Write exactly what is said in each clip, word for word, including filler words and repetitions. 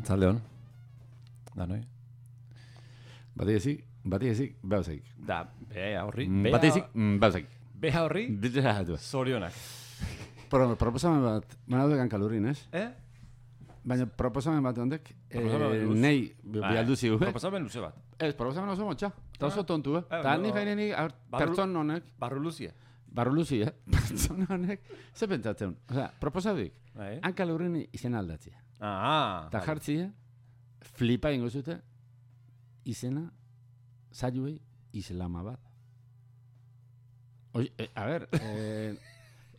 Arratzalde hon. Da, noi? Bati ezik, bati ezik, behauzaik. Da, beha horri. Bati ezik, behauzaik. Beha horri, zorionak. Proposamen bat, manadu egan kalurrin, ez? Eh? Baina proposamen bat ondek, Proposamen nei bialduzi gu. Proposamen luze bat. Ez, proposamen oso motxa. Eta oso tontu, eh? Eh, Eta no. ni feini pertson honek, Barru luzie. barru luzi, eh? Pertson honek, ze pentsatzen. Osea, proposaduik, Bai. hankalurrin izena aldatzea. Ah, Eta jartzia, flipa ingo zute, izena, zailuei, Islamabad. Oi, eh, a ver, eh,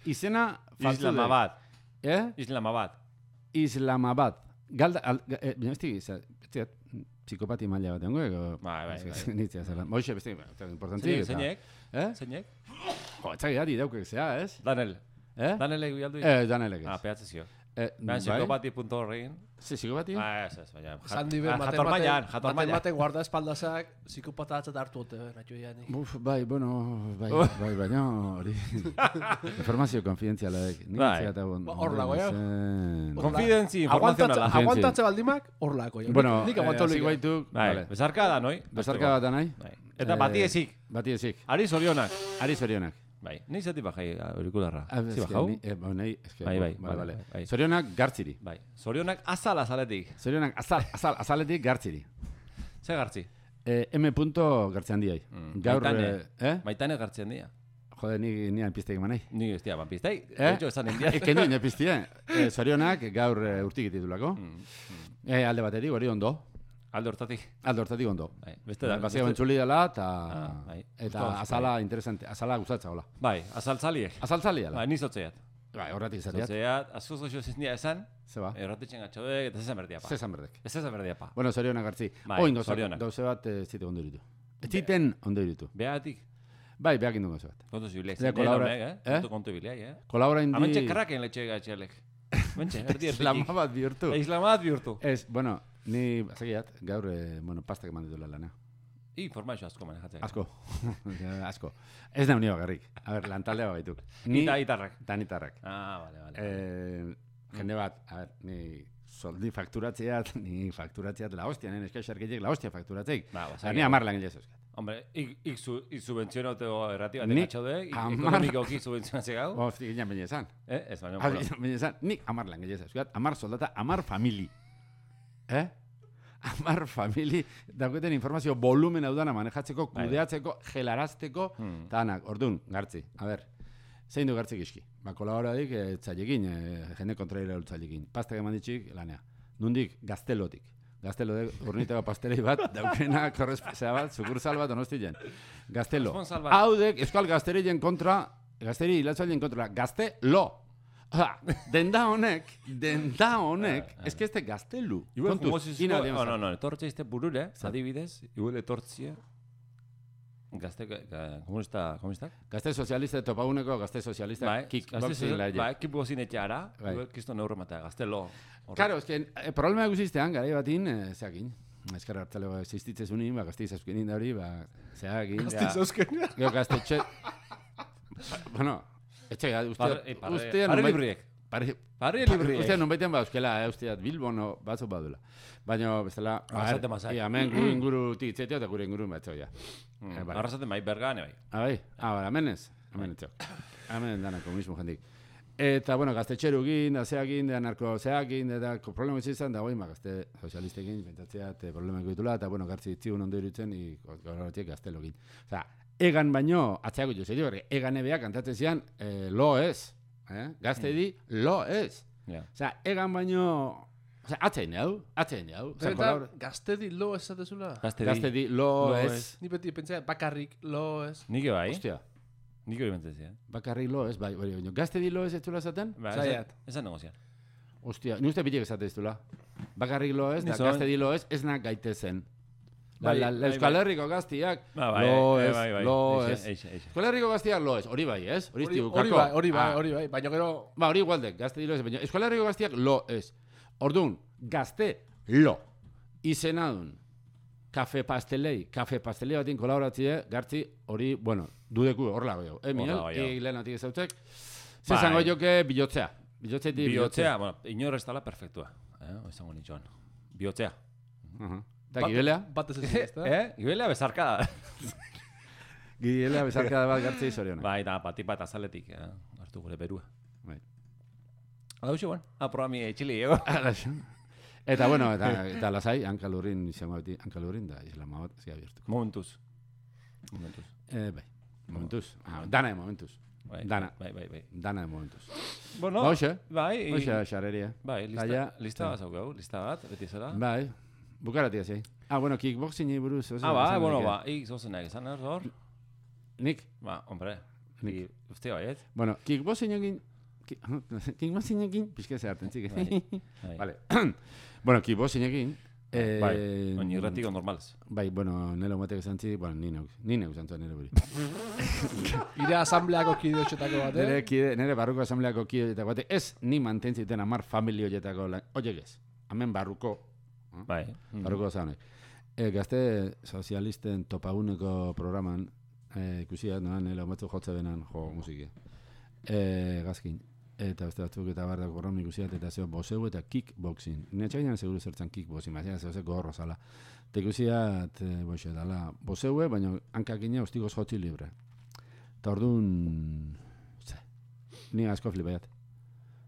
izena... faltzu dek. Islamabad. Eh? Islamabad. Islamabad. Galda, al, eh, bine, ez tiki, psikopati maila bat dengo, ego... Bai, bai, bai. Nitzia zela. Moixe, beste, importantzi. Zeinek? Eh? Zeinek? Jo, etzak gari daukek zea, ez? Danel. Eh? Danelek bialdu? Eh, danelek ez. Ah, pehatze zio. Eh, Baina bai? psikopati punto horrein. Ze, psikopati? Ah, ez, ez, baina. Esan dibe, Ah, jator mailan, jator mailan. matematen guarda espaldazak, psikopata atzat hartu ote, natxo iani. Buf, bai, bueno, bai, bai, baina hori... Informazio konfidentziala dek. Bai. Hor lago, ja. Konfidentzi informazionala. Aguantatze baldimak, hor lako. Bueno, nik aguanto hasi lik. baituk, Bai, vale. bezarka da, noi? Bezarka bat nahi? Bai. Eta bati ezik. Bati ezik. Ari zorionak. Ari zorionak. Bai, nahi zati bajai aurikularra. Ah, Zi eske bajau? ni- eh, ba, nahi, eske, Bai, bai, vale, vale, vale. bai. Zorionak gartziri. Bai, zorionak azal azaletik. Zorionak azal, azal, azaletik gartziri. Ze gartzi? Eh, M. gartzi handiai. Mm, Gaur, Maitane. eh, eh? Maitane gartzen dira. Jode, ni nian piztek eman nahi. Ni ez dira, banpiztai. Eh? Etxo esan india. Eke nuen epiztie. Eh, zorionak gaur eh, urtik ditulako. Eh, alde batetik, hori ondo. Alde hortatik. Alde hortatik ondo. Bai, beste da. Bazia bentsuli dela, eta Ah, bai. eta Gustoa, azala interesante, azala gustatza hola. Bai, azaltzaliek. Azaltzali ala. Bai, ni zotzeat. Bai, horretik izateat. Zotzeat, azuz goxo zindia esan, Ze ba? erratetzen gatxodek, eta zezan berdia pa. Zezan berdek. Ez zezan berdia pa. Bueno, zorionak hartzi. Bai, Oin gauza, zorionak. gauze bat ez zite ondo iritu. Ez ziten ondo iritu. Behatik, Bai, behak indu gauze bat. kontu zibilek. Ze kolabora- eh? eh? Kontu kontu bileak, eh? Kolabora indi... Amentxe karraken letxe gatxelek. Mentxe, erdi erditik. Islama bat bihurtu. Islamat bihurtu. Ez, bueno, ni, zagiat, gaur, eh, bueno, pastak eman ditula lana. Informazio asko manejatzen. Asko. Asko. Ez da unio bakarrik. A ber, lantaldea baituk. Ni... Ita itarrak. Tanitarrak. Ah, vale, vale. Eh, jende bat, a ber, ni soldi fakturatzeat, ni fakturatzeat la hostia, nien eskaixarkitek la hostia fakturatzeik. Ba, Ba, ni amar langile zeuzkat. Hombre, ik, ik, su, ik subvenzionateo errati bat Nik egatxodek, ik hamar- ekonomikoki subvenzionatze gau. Hostia, ginen baina esan. Eh, ez baina, Ah, bueno. baina esan, nik amar langile zeuzkat, amar soldata, amar famili. Eh? Amar famili, dauketen informazio volumen hau dana manejatzeko, Bai. kudeatzeko, gelarazteko, Hmm. eta anak, orduan, gartzi. A ber, zein du gartzik iski? Ba, kolaboradik, e, tzailekin, e, jende kontraira ultzailekin. Pastak eman ditxik, lanea. Nundik, gaztelotik. Gaztelodek urniteko pastelei bat, daukena korrespezea bat, sukursal bat onostien. Gaztelo. Korresponsal bat. Haudek, euskal gazteriren kontra, gazteri hilatzaileen kontra, gaztelo. Oda, denda honek, denda honek, Ah, ah. eske este gaztelu. Igual Kontuz, famosizko, ina aldian no, no, zan. no, etortze izte burure, adibidez, igual etortzia, gazte, ga- komunista, komunistak? Gazte sozialista topaguneko, gazte sozialista Bai, kickboxing laie. bai, kickboxing etxeara, Bai. igual kisto neurro matea, gaztelo. Claro, es que eh, problema guziztean, garai batin, eh, zeakin. Ezkerra hartzale ba, existitze zunin, ba, gazte izazkenin da hori, ba, zeakin. Gazte zauzken. Gero gaztetxe... bueno, etxe, Parre, uste... eh, parre, Uste... parre libriek. Pare, Parre libriek. Uste nunbaitean ba, euskela, eh, usteat Bilbon o batzuk badula. Baina, bestela... Arrasate mazak. Ia, hemen gure inguru tikitzetio eta gure inguru batzo, ja. Mm, Eh, bai. Arrasaten bai, bergane bai. Ah, bai? Ah, bai, hemen ez? Hemen etxo. Hemen dana komunismo jendik. Eta, bueno, gaztetxeru gin, da zeakin, da narko zeakin, eta problema izan, da, ba, gazte sozialistekin, pentsatzea, eta problema ditula, eta, bueno, gartzi itzigun ondo irutzen, gaur horretiek gaztelo gin. Osea, egan baino, atzeako jo, zerio, egan ebea kantatzen zian, eh, lo ez, eh? Gazte di, lo ez. Ja. Osea, egan baino, osea, atzein hau, atzein hau. Osea, kolabora- Gaztedi lo esatezula. Gazte Gazte di. di, lo Lo ez. ez. Ni beti pentsa bakarrik lo ez. Nike bai, Ostia, nike hori mentzezia. bakarrik lo ez, bai, bai, baina, gazte di lo ez ez zula esaten? Ba, Zaiat. esan negozian. Ostia, ni uste bitek esate ez dula. Bakarrik lo ez, Ni da zon- gazte di lo ez, ez nak gaitezen. La, Bai, la, la bai, Euskal bai. Herriko gaztiak, Ba, bai, lo eh, ez, bai, bai. lo Eixe, ez. eixe, eixe. Euskal Herriko gaztiak lo ez, hori bai, ez? Hori Hori estiu, hori kako? bai, hori bai, Ah. hori bai. Baina gero, Ba, hori igualdek, gazte di lo ez, baina Euskal Herriko gaztiak lo ez. Orduan, gazte lo. Izenadun, kafe pastelei, kafe pastelei batin kolaboratzie, gartzi hori, bueno, dudeku horla goio. Eh, Miguel, Horla goio. eh, lehenatik ezautek. Bai. Zezango joke bilotzea. Bilotzetik Bihotzea, bueno, inor ez dala perfektua. Eh? Izango nitxoan. bihotzea. Aha. Eta gibelea? Bat ez ez da. Eh? Gibelea bezarka. Gibelea bezarkada bat gartzei zorionak. Bai, da, pati bat azaletik, eh? Hartu gure berua. Bai. Hau xe, bueno, aprobami etxili, ego. Eta, bueno, eta, eta lasai, hankalurrin izango beti, hankalurrin da, islama bat, zia bihurtuko. Momentuz. Momentuz. Eh, bai, momentuz. Ah, dana de momentuz. Bai, Dana. Bai, bai, bai. Dana de momentuz. Bueno, Ba, hoxe, bai. hoxe, xareria. Bai, lista, Taia, lista ta- bat zaukau, lista bat, beti zera. Bai, bukaratia zei. Ah, bueno, kickboxingi buruz. oso Ah, ba, esan bueno, daike. ba, ik zozenak izan hor, hor. Nik, Ba, hombre, Nik. I, uste baiet. bueno, kickboxing egin, ki- kickboxing egin, pixka zeharten, txik. Bai. Bai. Vale. Bueno, kickboxing egin, eh, Bai, oin irratiko normalez. bai, bueno, nelo matek esan txik, bueno, ni neuk, ni neuk zantua nire buri. Ire asambleako kide hotxetako bat, Nere, eh? kide, nere barruko asambleako kide eta bate, ez ni mantentziten amar familio horietako lan, oiek ez, hemen barruko, Bai. barruko zaunek. E, gazte sozialisten topaguneko programan, e, ikusiat, noan, nela batzu jotze benan, jo, musiki. E, gazkin, eta beste batzuk eta bardak gorron ikusiat, eta zeo, boseu eta kickboxing. Nire txainan seguru zertzen kickboxing, baina zeo ze gorro zala. Eta ikusiat, e, boxe, dala, boseue, baina hankakine hostigoz jotzi libre. Eta orduan, ze, ni asko flipaiat.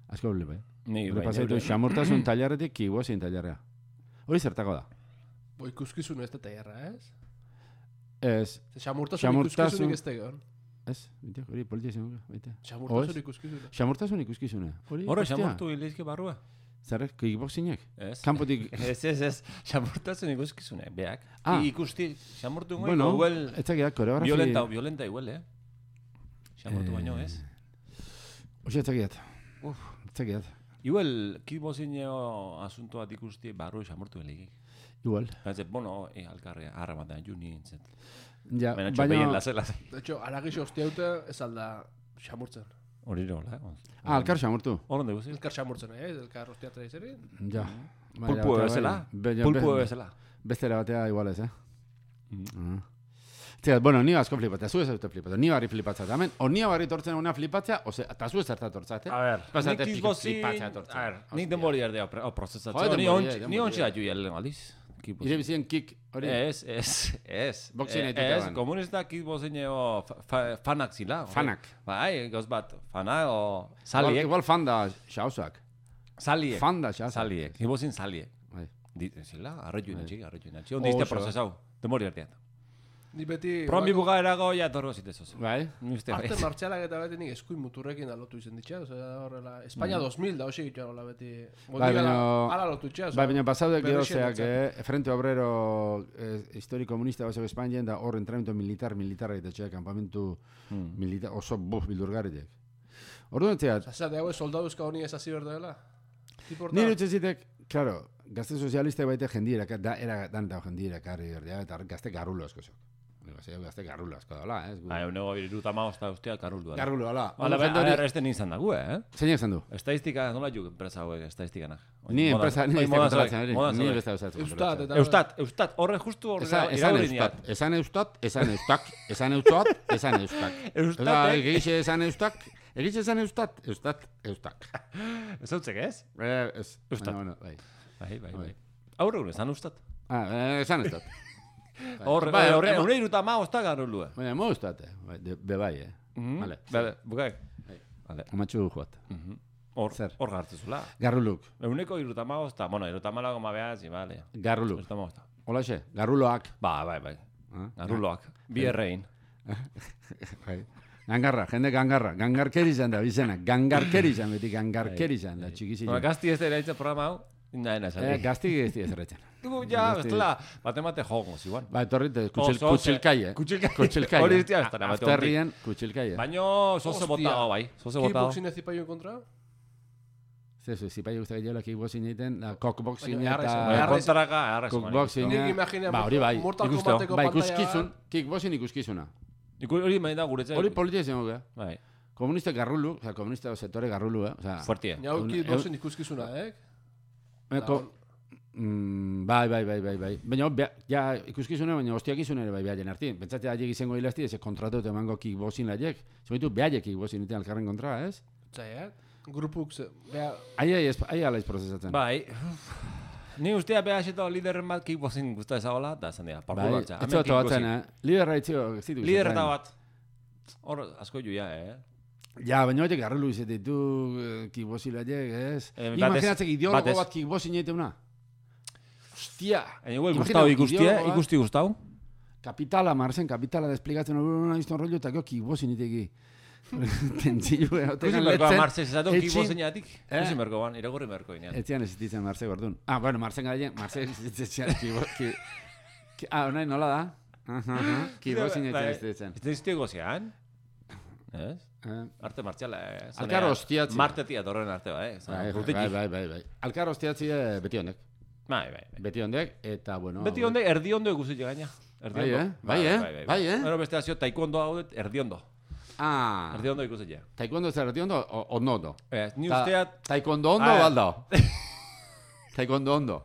Asko flipaiat. Ni, Gure bai, pasaitu neure- xamurtasun tailarretik kickboxing tailarrea. Hori zertako da. Bo ikuskizun ez da taierra, ez? Ez, Ze xamurtasun Xamurtasun- ikuskizunik ez da egon. ez, bite, hori politia izango, baita. Xamurtasun Oez? ikuskizuna. Xamurtasun ikuskizune. Hori, Horre, hostia. xamurtu hilizke barrua. Zerrek, kickboxingek? Ez. Kanpotik, Ez, ez, ez. Xamurtasun ikuskizune, beak. Ah. I, ikusti, xamurtu ingo, bueno, igual, etzakia, koreografi... violenta, violenta igual, eh? Xamurtu baino, ez? Oxe, etzakiat. Uf. Etzakiat. Igual, kickboxineo asunto bat ikusti barru xamurtu heligik. Igual. Baina, bueno, eh, alkarre, harra bat da, juni nintzen. Ja, Baina, txo, behien baina... lase, lase. De hecho, aragixo hostiauta ez alda xamurtzen. Hori nola, eh? Ah, alkar xamurtu. Horon dugu, zil? Elkar xamurtzen, eh? Elkar hostiatra izeri. Ja. Pulpu bezala? Pulpu bezala. Bestera batea igual ez, eh? Mhm. Ah. Zera, bueno, ni asko flipatzea, zu ez dute flipatzea, ni barri flipatzea, tamen, o ni barri tortzen una flipatzea, ose, eta zu ez zerta tortzat, eh? A ver, Pasate nik pik- kickboxing, flipatzea tortzen. a ver, nik Hostia. denbori erdea prozesatzen. Joder, Ni denbori, ontsi- denbori. ni ontsi atu jalen aldiz. Ire kickboxing. bizien kick, hori? Ez, ez, ez. Boxeanetik Eh, Ez, aban. komunista kickboxineo fa- fanak zila. hori. Fanak. Bai, goz bat, fana o Igual, saliek. igual fan da xausak. Saliek. Fan da xausak. Saliek. Kickboxing saliek. Bai. Di- Zila, arretu inatxik, arretu inatxik. Oso. Ondi izte prozesau. Denbori erdean. Ni beti... Promi bukaerago ja torro zitezoz. Bai? Ni uste Arte bai. martxalak eta beti nik eskuin muturrekin alotu izan ditxa, osea, horrela... España dos mil da, hoxe gitu hola beti... Bai, baina- Ala lotu itxa, Bai, baina pasaude gero berrexen zeak, etzak. eh, Frente Obrero eh, histori komunista basok Espainien da hor entrenamiento militar, militarra eta txea, kampamentu Hmm. militar, oso buf, bildurgarritek. Orduan zeat, Osea, de hau soldaduzka honi ez hasi berdela. nire utxe zitek, claro, gazte sozialiste baite jendiera, da, era dan da jendiera karri berdea, eta gazte garrulo asko zok. Gazte garrulo asko daula, ez? Bai, unego iruta maosta ustea karuldu. Garrulo, ala. Hala, a ver, este nintzen dago, eh? Zein esan du? Estadistika, nola juk enpresa hauek, estadistikanak? Ni enpresa, ni Oin ez moda kontrolatzen, zauek, ari. moda Ni zauek. beste usatzen. Eustat, eta... Eustat, Eustat, horre justu horre Esan, esan iraudiniat. eustat, esan eustat, esan eustak, esan eustat, esan eustak. Eustat, Osa, eh? egixe esan eustak, egixe esan eustat, eustat, eustak. Ez hautzek ez? Eh, ez. Eustat. Baina, bueno, bai. Bai, bai, Bai. bai. Aurre gure, zan Eustat. Ah, eh, esan eustat. Horre, Bai, horre, ema- horre iruta maosta garulua. Baina, mo eustat, bai, de- be bai, eh. Vale. Bale, bukaik. Bai. Vale. Amatxu joat. Hor, Zer? hor gartzezula. Garruluk, Euneko iruta maosta, bueno, iruta malago mabeaz, bale. garruluk. Iruta maosta. Olaxe, garruloak. Ba, bai, bai. Ah, Garruloak. Bi errein. Bai. Gangarra, jende gangarra. Gangarkeri izan da, bizena. Gangarkeri izan, beti gangarkeri izan da, txikizi. Bueno, gazti ez da eraitza programa hau, nahi nahi Eh, gazti ez dira zerretzen. Dugu, ja, Gazti- bestela, bat-emate jogo, ziguan. Ba, etorrit, kutsil, Oso, kutsilkai, eh? kutsilkai. Kutsilkai. Hori eh? iztia ez da, nabate Afterrien, kutsilkai, eh? Baino, zoze Hostia. botao, bai. Zoze botao. Kickboxing ez zipaio kontra? Zezu, zipai guztak gehiagola kickboxing egiten, la cockboxing Baina, eta... jarraizu, Baina, Arrez- kontraka, arrez. Cookboxing, Nik eh? imagina Ba, hori bai. Mortal ikusteo. Kombateko Bai, pantalla ikuskizun, kickboxing ikuskizuna. Hori main da guretzea. Hori politia izango gara. Bai, Komunista garrulu, oza, komunista sektore garrulu, eh? Oza, fuertia. Ja, hau Eun- kickboxing ikuskizuna, eh? eh, ko- Mm, bai, bai, bai, bai, bai. Baina, bea- ja, ikuskizune, baina hostiakizune ere bai behaien arti. Pentsatzea haiek izango hilazti, ez kontratu emango kickboxing laiek. Zumaitu behaiek kickboxing iten alkarren kontra, ez? Zai, eh? Grupuk, ze... Bea, Ai, ai, ez- ai ala ez prozesatzen. Bai, Ni ustea behaxeto liderren bat kickboxing guztua ezagola, da esan dira, parkour batza. Ez zuatu batzen, eh? Liderra itzio, zitu. Lider eta bat. Hor, asko juia, eh? Ja, baina horiek arrelu izatea ditu kickboxilaiek, ez? Eh, Imaginatzek ideologo batez. bat kickboxing egiteuna. Hostia. Ego, gustau ikustia, ikusti gustau. Kapitala, marzen, kapitala desplikatzen hori izan rollo eta gero kickboxing iteki. Tentzillu, Kusin berkoa Marse, zezatu kickboxing jatik? Eh? Kusin berkoan, iragurri berko inean. Etzian ez ditzen Marse gordun. Ah, bueno, Marsen garaien, Marse etzian kickboxing. Ah, nahi nola da? Kickboxing etzian ez ditzen. Ez diztio gozean? Ez? Eh. Arte martxala, eh? Alkar hostiatzi. Martetia torren arte, ba, eh? Bai, bai, bai, bai, bai. Alkar hostiatzi beti honek. Bai, bai, bai. Beti honek, eta bueno... Beti honek, erdi ondo ikusi gaina. Bai, eh? Bai, eh? Bai, eh? Ero beste azio, taekwondo hau dut, erdi ondo. Ah. Erdi ondo ikusi ja. Taekwondo ez erdi ondo, o no ondo? Ez, ni usteat... Taekwondo ondo, balda? Taekwondo ondo.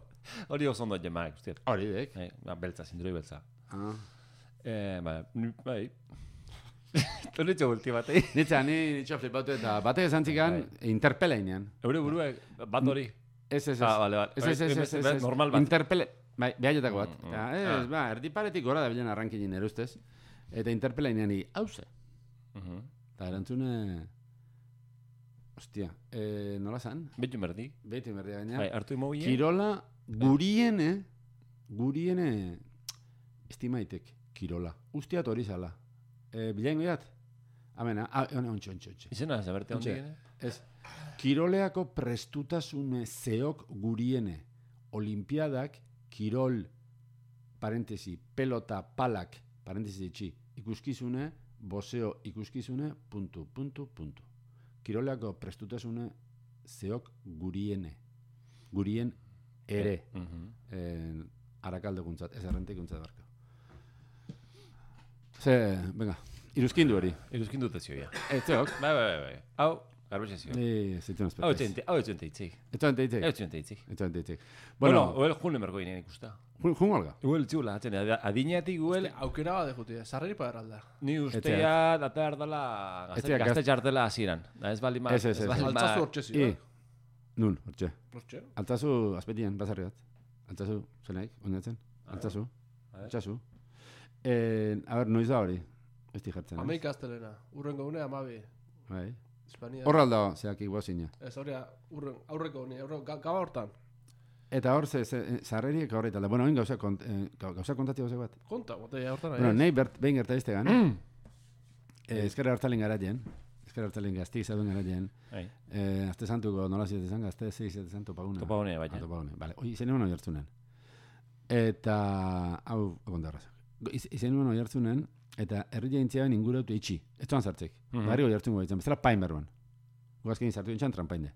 Hori oso ondo jemaak, usteat. Hori dek. Beltza, zinduroi beltza. Ah. Eh, bai, bai. Tonetxo gulti batei. Nitza, ni nitxo flipatu eta bate ezantzikan interpeleinean. Eure burua, bat hori. Ez, ez, ez. Ah, bale, bale. Ez, ez, ez, ez, ez. Normal bat. Interpele... Bai, behaletako bat. Mm, mm. Ja, ez, ba, erdiparetik gora da bilen arrankinen erustez. Eta interpeleinean hi, hauze. Mhm. Eta erantzune... Ostia, eh, nola zan? Betu merdi. Beti merdi gaina. Bai, hartu imobi. Kirola guriene, guriene estimaitek kirola. Ustiat hori zala. E, Bilaingo jat? Amena, ah, ontsi, ontsi, ontsi. Izena, zaberte hondi gene? Ez, kiroleako prestutasune zeok guriene. Olimpiadak, kirol, parentesi, pelota, palak, parentesi itxi, ikuskizune, boseo ikuskizune, puntu, puntu, puntu. Kiroleako prestutasune zeok guriene. Gurien ere. Uh -huh. eh, Arakaldeguntzat, ez errentekuntzat barka. Ze, venga, iruzkindu hori. Iruzkindu tezioia. Ez zeok. Bai, bai, bai, bai. Hau, garbetxe zio. Ni zituen Hau espetez. etxente, hau etxente itzik. Ez zuen teitzik. Hau etxente itzik. Ez zuen teitzik. Bueno, Bueno, uel june merko ginen ikusta. jun olga. Uel txula, atzen, adineatik uel, Aukera bat dejutia, sarreri pagarralda. ni ustea data erdala Etxeak gazte txartela hasieran. Da ez bali ma... Ez, ez, ez. bali ma- Altzazu hortxe I, zio. nun, hortxe. Hortxe. Altzazu, azpetien, bazarri bat. Altzazu, zenaik, oinatzen. Altzazu, A ver. altzazu. Eh, a ber, noiz da hori? Ez di jartzen. Ameik astelena, urrengo une amabi. Bai. Espania. Horra alda, zeak iguazina. Ez hori, urren, aurreko une, aurreko, ga- gaba hortan. Eta hor, ze, ze, zarreriek horretan da. Bueno, hain gauza, kont, eh, gauza kontati gauza bat. Konta, botella hortan. Bueno, nahi, nahi bert, behin gerta iztegan. eh, ezkerra hartalen garaien. Ezkerra hartalen gaztik zauden garaien. Bai. Eh, azte santuko nola ziete zan, gazte zei ziete zan topagune. Topagune, bai. Ah, topagune, bale. Oi, izen egon oiartzunen. Eta, hau, egondarraz. Izen egon oiartzunen, eta herri jaintziaben ingurautu itxi. Ez zuan zartzik. Mhm. Barri oiartzungo ditzen, bezala pain berruan. Guazkein zartu dintxan trampainde.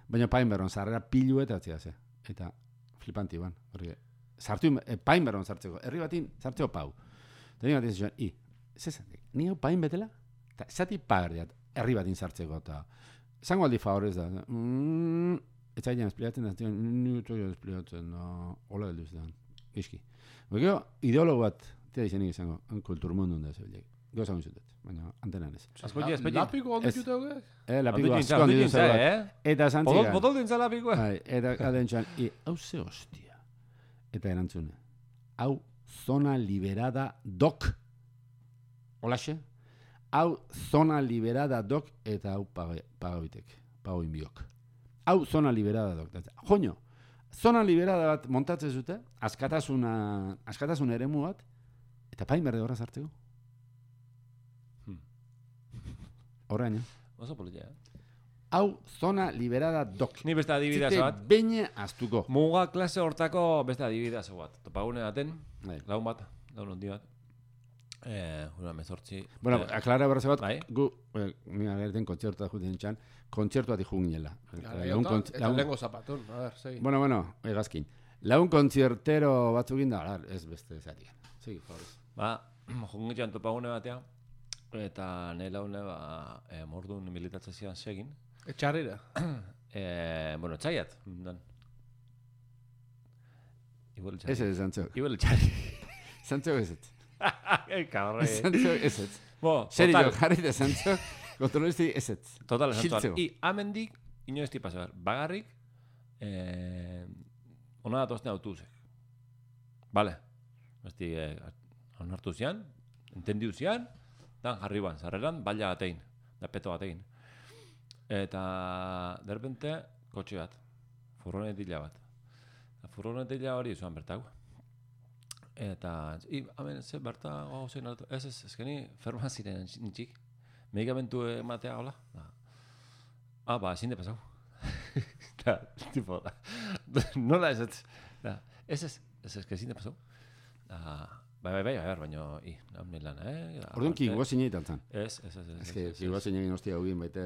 Baina pain berruan, zarrera pilu eta atzia ze. Eta flipanti ban. Horri, zartu, eh, pain berruan zartzeko. Herri batin zartzeko pau. Eta nire batin zuen, i, zezan, ni hau pain betela? Eta zati pagardiat, herri batin zartzeko. Eta zango aldi favorez da. Mm, ez zailan esplikatzen da, ni utzoia esplikatzen da, hola heldu zidan. Gizki. Gero, ideologo bat, tia izenik izango, kulturmundun da zebilek. Gero zango izutet, baina antenan ez. Asko ja, espeti. Lapiko ondo Ez. jute hogek? Eh, lapiko Ondu asko jintza, handi ondu duzu jintza, bat. eh? Eta Bodol, zantzigan. bodol dintza lapikoa. Bai, eta adentxan, i, hau ze hostia. Eta erantzune, hau zona liberada dok. Olaxe? Hau zona liberada dok eta hau pagabitek, pagoin biok. Hau zona liberada dok. Joño, zona liberada bat montatzen zute, askatasuna, askatasun eremu bat, eta pain berde horra zartzeko. Horrein, eh? Oso politia, eh? Hau zona liberada dok. Ni beste adibidazo Zite bat. beine astuko. Muga klase hortako beste adibidazo bat. Topagune baten, Bai. laun bat, laun hondi bat. Eh, una mezortzi. Bueno, eh, aklara berraze bat, bai. gu, eh, ni agerten kontzertua juten txan, kontzertua di juginela. Laun kontz- Eta laun- lehengo zapatun, a ver, segi. Bueno, bueno, egazkin. Laun kontzertero batzukin da, alar, ez beste zatian. Segi, favorez. Ba, jungitxan topagune batean, eta nahi laune, ba, eh, mordun militatzen zidan segin. Etxarrira. Eh, bueno, txaiat, dan. Igual txai. Ez ez, zantzok. Igual txai. Zantzok ez ez. Kabarre. Zantzok ez ez. Bo, Serio, total, jarri da zantzok, kontrolisti ez ez. total, esan Xiltzeko. I amendik, inoizti paso behar, bagarrik, eh, ona datozten autobusek. Bale. Besti, eh, onartu zian, entendiu zian, dan jarri ban, zarreran, baila batein, da peto batein. Eta, de repente, kotxe bat, furgonetila bat. Furgonetila hori zuan bertako. Eta, i, hamen, ze berta, oh, zein alto, ez, ez, ezkeni, farmaziren nintxik, medikamentu ematea, hola, da. Ah, ba, ezin de pasau. Da, tipo, da, nola ez, ez, da, ez, ez, ez, ez, ezin de pasau. Da, bai, bai, bai, bai, baina, i, nahmen lan, eh? Da, Orduan ki gozinei taltzen. Ez, ez, ez, ez. Ez que ki gozinei hostia hugin baite,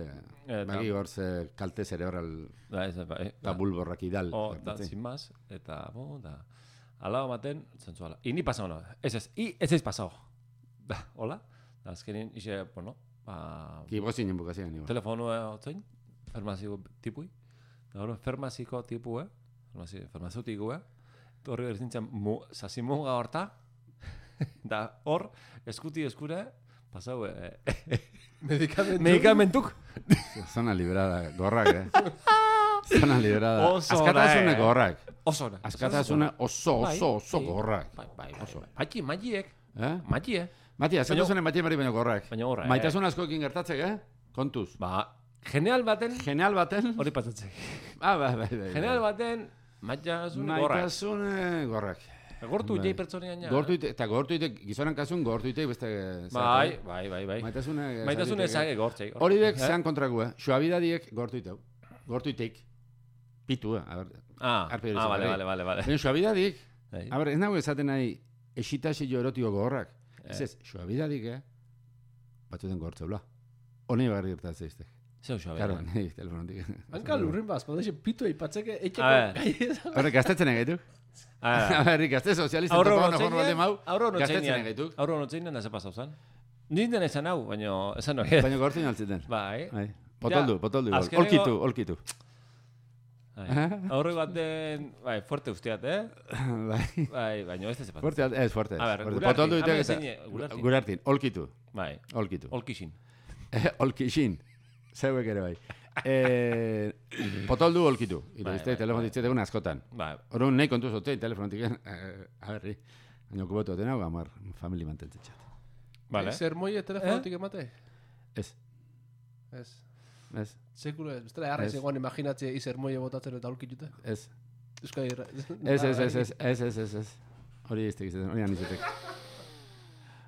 bagi gortze kalte cerebral Da, ez, bai. eta bulborrak idal. O, da, sin más, eta, bo, da, alao maten, zentzuala. I ni pasau no, ez ez, i ez ez pasau. Da, hola? Da, azkenin, ixe, bueno, ba... Ki gozinen bukazioan, nigo. Telefonua otzein, farmaziko tipui. Da, hori, farmaziko tipua, farmazeutikua. Horri berzintzen, zasimuga horta. Da, hor, eskuti eskura, pasau, eh, Medikamentu. medikamentuk. Zona librada, gorrak, eh? Zona librada. Oso Askatasune da, eh. gorrak. Oso da. Askatasune oso, Bai, oso, oso bai, gorrak. Bai, bai, bai, bai. Mati, matiek, Eh? mati, eh? Mati, askatasune mati emari baino gorrak. Baina horra, eh? Maitasun askoekin gertatzek, eh? Kontuz. Ba, general baten, Genial baten. hori pasatzek. Ah, bai, bai, bai. General baten, maitasun gorra. Maitasune gorrak. Gortu Bai. itei pertsonean ja. Gortu ite, eta gortu ite, gizonan kasun gortu ite beste... Bai, bai, bai, bai. Maitasune... Maitasun ezage gortzei. Hori dek zean kontraku, eh? Suabidadiek gortu iteu. Gortu iteik. Pitu, eh? A ber, Ah, Arpe ah, vale, hori. vale, vale, vale. baina suabidadik, Bai. a ber, ez nago esaten nahi esitazio erotiko gogorrak. Ez Eh. ez, suabidadik, eh? Batzuten gortzeula. Honi barri gertatzen zeiztek. Zeu xo, Claro, nahi telefonotik. Hanka lurrin baz, podeixe pitu eipatzeke etxeko A ver. gai. Horrek, gaztetzen egaitu. A ber, gazte sozialista Aurro topa hona notzeinen, mau, aurro gaztetzen notzeinen, egaitu. aurro notzeinen, ez pasau zan. Ninten esan hau, baina esan hori. Baina gortzen altzeten. Bai. Bai. Potoldu, potoldu. igual. azkeneko- Olkitu, olkitu. Bai. Aurre baten, bai, fuerte usteat, eh? Bai. Bai, baina ez ez pasau. Fuerte, ez, fuerte. A ber, fuerte. gurartin, Potoldu hemen ite eta... zein, gurartin. Gurartin, olkitu, Bai, olkitu. olkixin. Olkixin. Zeuek ere bai. Eh, potoldu olkitu. Iro, Bai, izte, bai, telefon bai. ditzetegun askotan. Bai, Orduan nahi kontuz otein telefonotik, eh, a berri. Baina kubotu oten hau, amar, famili mantentzetxat. vale. Zer moie telefonotik emate? Ez, Ez. ez, Sekulo ez. Bestela jarra Ez. izegoan imaginatzea izer moie botatzen eta aurkitute. ez. Euskadi irra. Ez, ez, ez, ez, ez, ez, ez, ez. Hori iztek izaten, hori anizetek.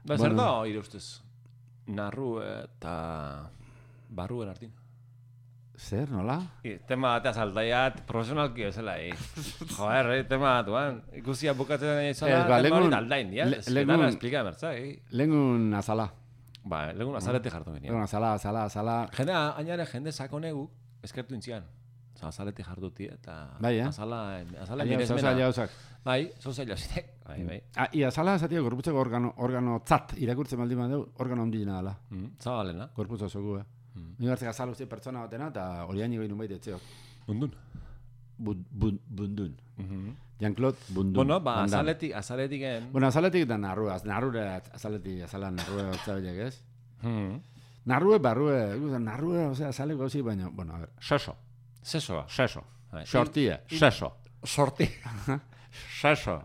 Ba, zer Bueno. da, ire ustez, narru eta barruen artin. Zer, nola? I, tema batea saltaiat, profesionalki bezala, eh. Joder, eh, tema batuan. Ikusia bukatzen izala, Ez, ba, tema hori legun- aldain, dia. le- Ez que legun- dara explica, bertza, eh. Lengun azala. Ba, legun azalete jartu ginen. Lengun azala, azala, azala. Jende, ainare jende sakonegu, eskertu intzian. Osa, azalete jartuti eta... Bai, eh? Azala, azala Aia, miresmena. zauza, jauzak. Bai, zozaila zitek. Bai, bai. Ah, ia azala esatia gorputzeko organo, organo tzat, irakurtzen baldin badeu, organo ondina dela. Mm, zabalena. Gorputz osogu, eh? Mm. Ni hartzek azal uste pertsona batena eta hori haini behin unbait etzeok. Bundun. Bun, bun, bundun. Mhm. Jean-Claude Bundun. Bueno, ba, Van Damme. azaletik, azaletik en... Bueno, azaletik da narrua, az- narrure azaletik, azala narrue otzabilek, ez? Hmm. Narrue, barrue, ikusten, narrue, osea, azaleko zi, baina, bueno, a ver, seso, Sesoa. seso, Bai. sortia, seso, Sorti. seso.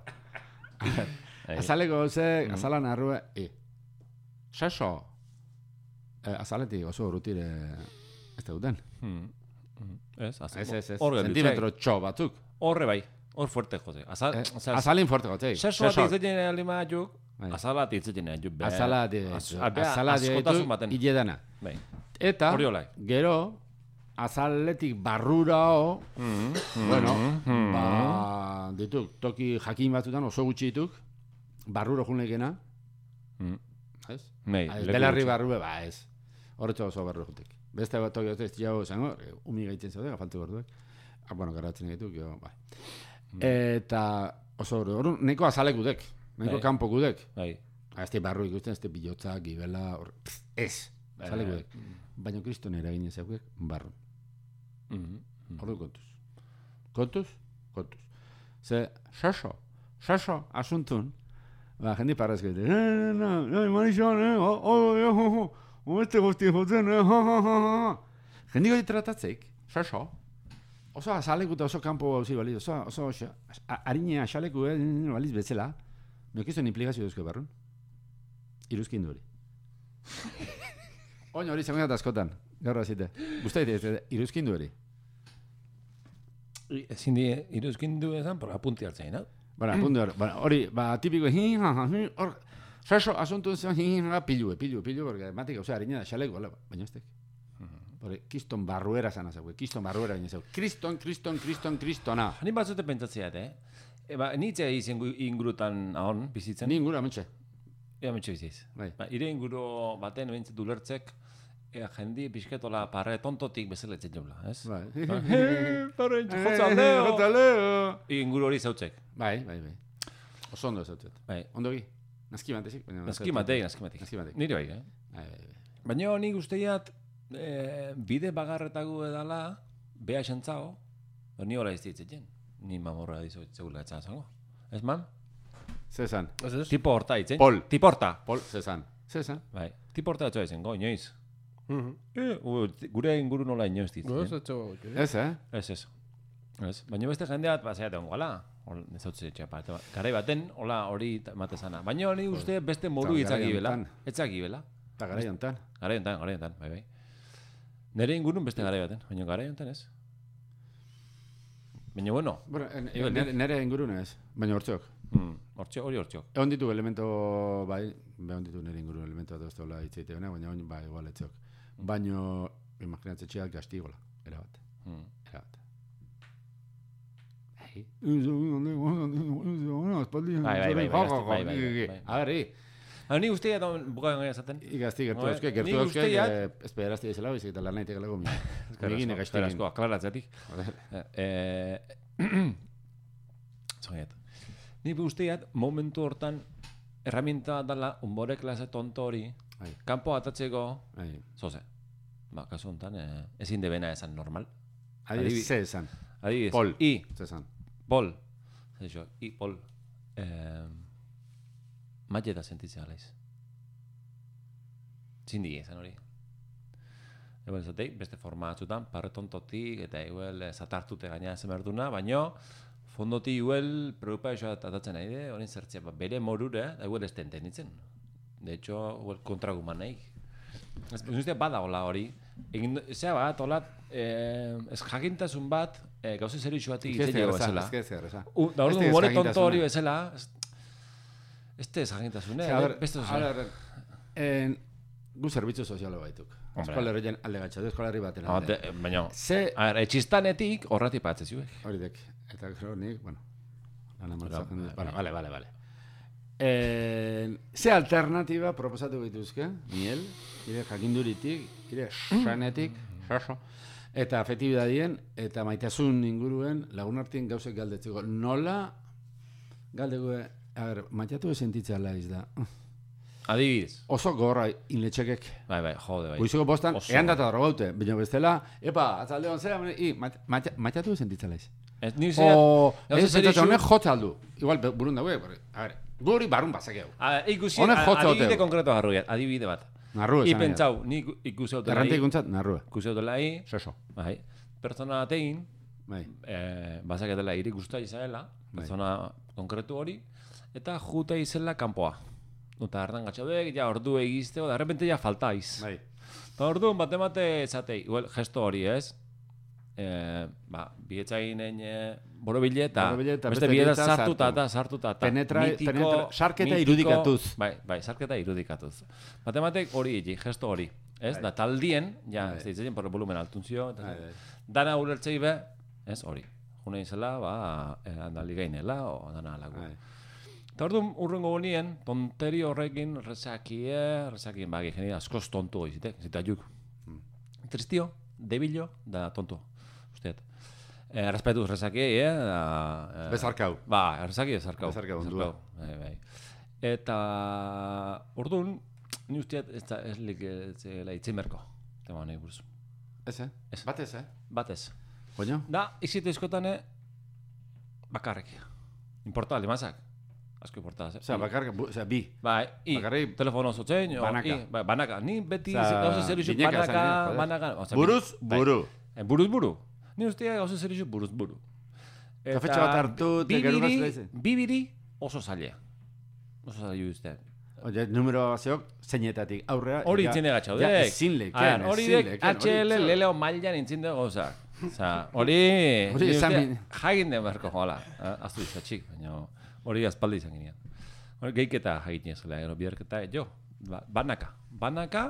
Bai. Azaleko ze, azala narrue, i. Seso. Eh, azaletik oso urrutire ez duten. Hmm. Hmm. Ez, az- Ez, ez, ez, hor gelditzea. sentimetro txo batzuk. Horre bai, hor fuerte jose. Azal, Eh, osea, azalin fuerte gotzei. sesoa titzetzen alima juk, Bai. azala titzetzen juk. be- Azala di, az- azala di, askotasun baten. iledana. Bai. Eta, Hori olai. gero, azaletik barrurao, Mhm. bueno, Mhm. ba, dituk, toki jakin batzutan oso gutxi dituk, barruro junekena, Mhm. ez? Bai, Ah, leku Belarri gutxi. barrue, ba, ez. Horretxo oso barru jutek. Beste bat toki ez jau zango, umi gaitzen zaude, gafaltu gorduek. Ah, bueno, garatzen gaituk, jo, bai. Eta oso horre, hor, neko azalek gudek, neko Bai. kanpo gudek. Bai. Ez te barru ikusten, ez te bilotza, gibela, hor, pff, ez, azalek gudek. Baina kriston eragin ezakudek, barru. Mhm. Ordu kontuz. Kontuz? Kontuz. Ze, saso, saso, asuntun, ba, jendi parrezko dite, eh, no, no, manixon, eh, oh, oh, oh, oh, oh, oh, este guzti jotzen, eh, ha, ha, ha, ha. Jendi goi tratatzeik, saso, oso azaleku eta oso kanpo hauzi baliz, oso, oso, oso, harinea xaleku, eh, baliz betzela, mekizuen implikazio duzko barrun. Iruzkindu hori. Oin hori zangoen askotan, gaur azite. Guztait, iruzkindu hori. Ezin di, iruzkindu ezan, por apunti hartzein, no? Bara, apunti hori, hori, ba, tipiko, hi, ha, ha, hi, hor, saso, asuntu zen, hi, ha, pilue, pilue, pilue, porque matik, osea, harina da xaleku, baina ez tek. Hori, kiston barruera zan azau, kiston barruera baina zau. Kriston, kriston, kriston, kristona. Ni batzute pentsatzeat, eh? Eba, nitzea izen ingurutan ahon, bizitzen? Ni inguru, ametxe. Ea metxe biziz. Bai. Ba, ire inguru baten bintzat ulertzek, ea jendi pixketola parre tontotik bezala etzen jobla, ez? Bai. Parre, jotzaldeo! Jotzaldeo! Inguru hori zautzek. Bai, bai, bai. Oso ondo zautzet. Bai. Ondogi? Naski matezik? Naski mateik, naski mateik. Naski mateik. Nire bai, eh? Bai, bai, bai. Baina nik usteiat, e, bide bagarretagu edala, beha esantzao, ni hola ez ditzetzen. Ni mamorra dizo zegoela etzan zango. Ez man? Zezan. Tipo horta itzen. Pol. Tipo horta. Pol, zezan. Zezan. Bai. Tipo horta etxoa izen, go, inoiz. Mhm. Eh, u, gure inguru nola inoiz ditzen. No, ez etxo. Ez, eh? Ez, ez. Ez. Baina beste jendeat, bazaiat egon gala. Ez hau txepa. Garai baten, hola hori matezana. Baina hori uste beste modu itzaki bela. Etzaki bela. Eta garai hontan. Garai hontan, garai hontan, bai, bai. Nere ingurun beste garai baten, baina garai hontan ez. Baina bueno. Bueno, nere, nere ingurune ez, baina hortxok. Mm, hortxo, hori hortxok. Egon ditu elemento, bai, egon ditu nere ingurune elemento bat oztola itzeite bena, baina oin, bai, igual etxok. Baina, imaginatze txeak gastigola, erabat. Mm. Erabat. Bai. Bai, bai, bai, bai, bai. A ver, hi. Hau ni guztia da bukaen gaia zaten. Igazti gertu euske, gertu euske, esperazti ezela bizik eta lan nahitek alago mi. Egine gaiztegin. Eskerrazko, aklaratzetik. Zoiet. Ni guztiat, momentu hortan, herramienta dala, unbore klase tonto hori, kanpo atatzeko, zoze. Ba, kasu honetan, ezin debena esan normal. Adibidez, ze esan. Adibidez. Pol. I. Ze esan. Pol. Zeixo, I, pol. Mateta sentitzea alaiz. Zindi esan hori. Egon zatei, beste forma atzutan, parre tontotik, eta igual zatartute gaina zemerduna, baina fondoti igual preocupaioa atatzen nahi de, horin zertzea, bere morure, da igual ez tenten ditzen. De hecho, igual kontraguman nahi. Ez ustea bada hola hori. Egin, zea bat, hola, ez jakintasun bat, gauze zerixuatik itzen jago bezala. Ez que ez Da hori du more tonto hori bezala, este ez jakintasune, beste A ver, gu zerbitzu sozialo baituk. Eskola herrien alde gatxatu, eskola herri baten alde. Baina, Ze... a ver, etxistanetik horrati patzez zuek. Hori dek. Eta gero nik, bueno, lan amartzatzen dut. Vale, vale, vale. Ze alternatiba proposatu bituzke, miel, ire jakinduritik, ire sanetik, eta afektibidadien, eta maitasun inguruen lagunartien gauzek galdetzeko. Nola galdegu, a ver, maitatu sentitzea laiz da. Adibidez. Oso gorra inletxekek. Bai, bai, jode, bai. Goizeko postan, ean data dara gaute, baina bestela, epa, atzaldeon zera, i, maitatu sentitza laiz. Ez ni zera... O, ez pentsatzen honek jotza aldu. Igual, burun daue, a ver, guri barrun bazakeu. Ikusi, adibide konkreto garruiat, adibide bat. Narrue, I pentsau, ni ikusi autolai... Errantik untzat, narrue. Ikusi autolai... Seso. Bai. Pertsona batein, bai. bazaketela iri guztua izaela, pertsona konkretu hori, eta jute izela kanpoa. Eta hartan gatxaudek, ja ordu egizteo, da repente ja faltaiz. Bai. Eta orduan bate-mate esatei, igual, gesto hori ez, eh, ba, bietzainen eh, borobile eta beste bieta sartuta eta sartuta eta penetra, mitiko, penetra, sarketa mitiko, irudikatuz. Bai, bai, sarketa irudikatuz. Matematek hori egi, gesto hori. Ez, bai. Da taldien, ja, ez da itzen, por volumen altuntzio, eta bai, bai. Dana ulertzei be, ez hori. Juna izela, ba, eh, andali gainela, o dana alagu. Bai. Eta orduan urrengo bonien, tonteri horrekin rezakie, rezakien bagi geni askoz tontu izitek, zita juk. Mm. Tristio, debilo, da tontu, usteet. Eh, Respetuz rezakie, eh? Da, eh, bezarkau. Ba, rezakie bezarkau. Bezarkau, ondua. Bai, bai. Eta orduan, ni usteet ez da ez lik itzen berko, tema nahi buruz. Ez, eh? Ez. Batez, eh? Batez. Baina? Da, izite eskotane, bakarrik. Importa, limazak. Asko importaz, eh? Osea, bakarka, osea, bi. Bai, i, bakarrik, telefono zotzen, banaka. I, bai, banaka. Ni beti, Osa, gauza zer iso, banaka, banaka. Osa, buruz, bai, buru. Eh, buruz, buru. Ni ustea gauza zer izu buruz buru. Kafetxo bat hartu, eta gero bibiri, gazte bibiri oso zailea. Oso zailea uste. Oye, numero zeok, zeinetatik aurrera. Hori itzine gatxaudek. Ja, ezin leken, Hori ezin dek leken. H L leleo mailan intzin dugu gauza. Osa, hori... Hori ni esan uste bin- Jagin den beharko joala. Aztu izatxik, baina hori azpaldi izan ginean. Hori geiketa jagin ezela, gero biharketa, jo, ba- banaka. Banaka,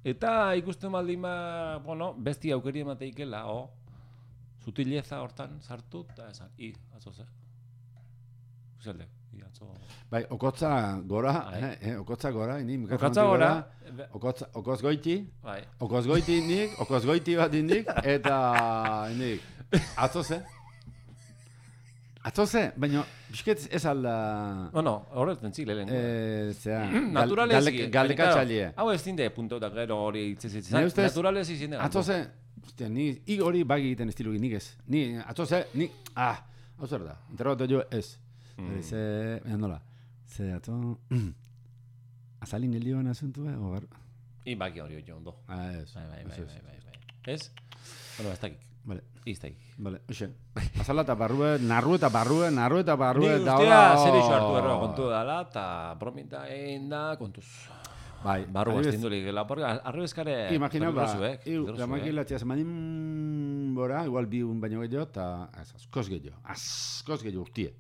eta ikusten baldin ba, bueno, besti aukeri emateikela, o, sutileza hortan sartu, eta esan, i, atzo ze. Uzelde, i, atzo... Bai, okotza gora, Ai. eh, eh, okotza gora, ini mikrofonotik Okotza gora, okotza, okoz goiti, bai. okoz goiti nik, okoz goiti bat indik, eta indik, atzo ze. Atzo ze, baina, bisket ez alda... Bueno, horretzen zik lehen. Eh, zera, Naturalezi. galdeka txalie. Hau ez dinde punto da gero hori itzez Nire ustez, Naturalezi zinde. Atzo ze, ostia, ni, i hori bagi egiten estilu nik ez. Ni, atzo ze, ni, ah, hau zer da, interrogatu jo ez. Mm. Ze, baina nola, ze atzo, azalin helioan asuntu, eh, o bar... I baki hori hori ondo. Ah, ez. Bai, bai, bai, ez, bai, ez. bai, bai. Ez? Bueno, ez dakik. Vale, Ez dakik. vale, oxe. Azala eta barrue, narru eta barrue, narru eta barrue, Ni da ustea hola... zer iso hartu erro kontu dala, eta bromita egin da kontuz. Bai, Barru adibidez, bastindulik, porque arrebezkare... Imagina, ba, peligroso, eh? iu, Peligroso, damaki eh? latxia zemanin bora, igual bi un baino gehiago, eta ez, askoz gehiago, askoz gehiago urtie.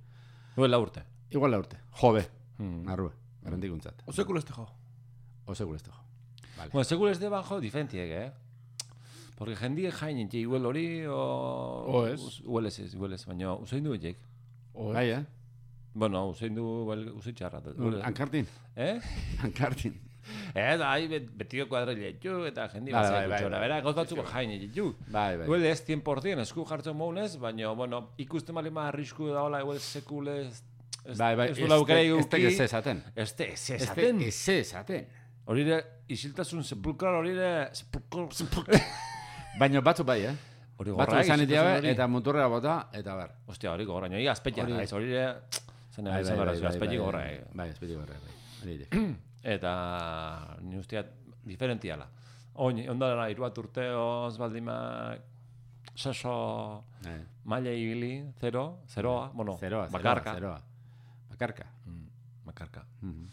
Duela urte. Igual la urte, jove, Hmm. narrue, garantikuntzat. Osekul ez tejo. Ose gulezto. Vale. Bueno, seguro ez de bajo diferentiek, eh? Porque jendie jain entxe igual hori, o... O ez. Igual ez ez, igual ez, baina usain du etxek. Bai, eh? Bueno, usain du, usain txarra. Ankartin, Eh? ankartin. Eh, da, hai bet, betio kuadrile ditu, eta jendi Bai, bat bai, zaitu bai, txora. bai. Bera, gauz batzuk jain ditu. Bai, bai. Igual ez cien por cien esku jartzen mounez, baina, bueno, ikusten bali ma arrisku da hola, igual sekule ez... ez- Bai, bai, Ez duela aukera ez iguki. ez esaten. Este, ez Ez esaten. ez esaten. Hori ere, isiltasun sepulkral hori ere... Sepulkral... Baina batzu bai, eh? Hori Batzu gorra, izan isiltasun itiabe, hori. eta muturrea bota, eta ber. Ostia, hori gorra, nio, azpetia Hori- naiz, hori ere... Zen Bai, izan bai, gara, bai, bai, azpeti bai, gorra. bai. eh. Bai, azpeti gorra, bai. Hori ere. Eta ni usteat diferentiala. Oin, ondara iru bat urteoz baldima saso Bai. maila ibili, zero, zeroa, bueno, Zeroa, bakarka. zeroa. Bakarka. Mm, bakarka. Mhm.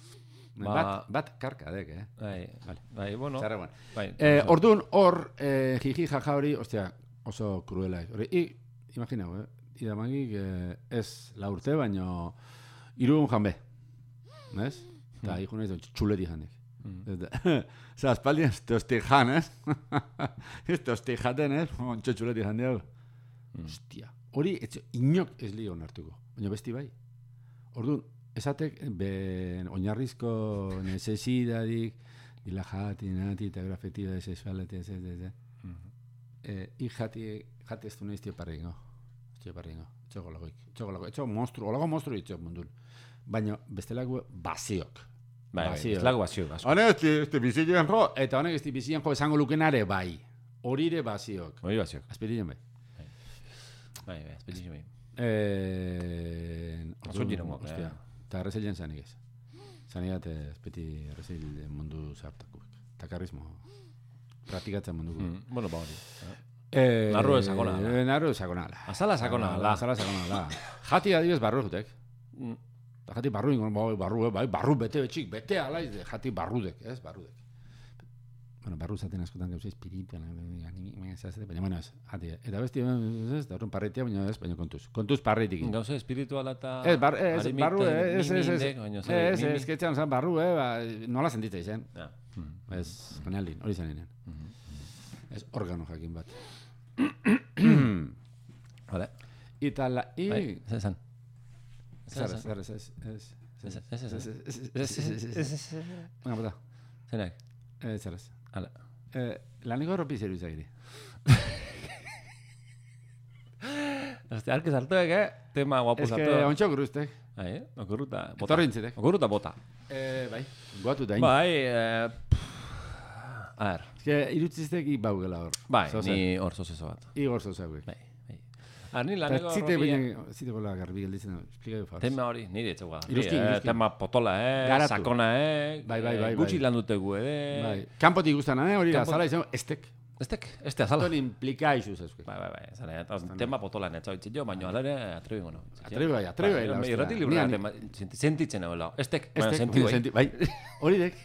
Ba- Bat, bat karka dek, eh? Bai, Vale. bai, bueno. Txarra, bueno. Bai, Eh, oso- orduan, hor, eh, jiji jaja hori, ostia, oso kruela. Hori, i, imaginau, eh? Idamagik eh, ez la urte, baino irun janbe. ¿Nez? Eta Mm. hijo nahiz txuleti janik. Mm. Zer, aspaldi ez tosti jan, ez? Ez tosti jaten, ez? Ontxo txuleti jan diago. Mm. Ostia, hori etxe, inok ez li onartuko. Baina besti bai. Orduan, esatek, ben, oinarrizko necesidadik, dila jati, nati, eta grafetida, sexualete, ez, ez, ez, ez. Mhm. Eh, I jati, jati ez du nahiz tio parringo. Tio parringo. Txoko lagoik. Txoko lagoik. Etxo monstru, olago monstru ditzok mundun. Baina bestelako baziok. Bai, bai, Bazio. ez lagu bazio, asko. Honek ez di bizien jo, eta honek ez di bizien jo esango lukenare bai. Horire baziok. Hori baziok. Azpirien bai. Bai, bai, espetixo bai. Eh, Azun jirengo, ostia. eh. Eta errezilen zanik ez. Zanigat espeti errezil mundu zartakuek. Eta karrismo. Praktikatzen munduko. Mm, bueno, ba hori. eh. Eh, Narru sakona da. eh, Narru sakona da. Azala sakona da. Azala sakona da. Jati adibidez barru jutek. Mm, Eta jati barru ingon, bai, barru, eh, bai, barru bete betxik, bete alaiz, de, jati barrudek, ez, barrudek. Bueno, barru zaten askotan gauza espiritua, baina, bueno, ez, jati, eta besti, ez, da horren parreitia, baina ez, baina kontuz, kontuz parreitik. Gauza espirituala eta... Ez, bar, ez, harimita, barru, ez, ez, ez, ez, mimindek, baina zer, ez, mimi- ez, ketxan, zan, barru, eh, ba, nola sentitza izan, Ja. Mm, ez, kanalin, hori zen inen, mhm. ez, organo jakin bat. Vale. Eta la, i, Bai, zer esan? zer, Zer zer, esan? ez, ez, Ez, ez, ez, ez, ez, ez. ez, ez, ez, ez, ez, ez, Venga, bota. Zenak? Eh, zer ez. Hala. Eh, laniko ropi zeru izagiri. Este, arke sartuek, eh? Tema guapo Ez que sartu. ontxo gruztek. Bai, eh? Okurruta bota. Etorri intzitek. Okurruta bota. Eh, bai. Guatu da. Bai, eh... pff, A ver, Ez que irutziztek i baugela hor. bai, Zoze. ni hor zozezo bat. Igor zozaguek. Bai, bai. A, ni Eta laneko zite robia- baina, zite gola garbi gelditzen, esplika du fauz. Tema hori, nire etxegoa. Iruzkin, iruzkin. Tema potola, eh? Garatu. Sakona, eh? Bai, bai, bai, Gutxi bai. lan dutegu ere. Bai. Kanpotik guztan, eh? Hori da, Kanpo- zala izan, estek. Estek, este azala. Ton implika izu zezke. Bai, bai, bai, zara, eta tema potolan ez zautzen jo, baina alare atrebi gono. Atrebi bai, atrebi bai. Bai, irrati librea, sentitzen egoela. Estek, baina sentiu bai. Bai, hori dek.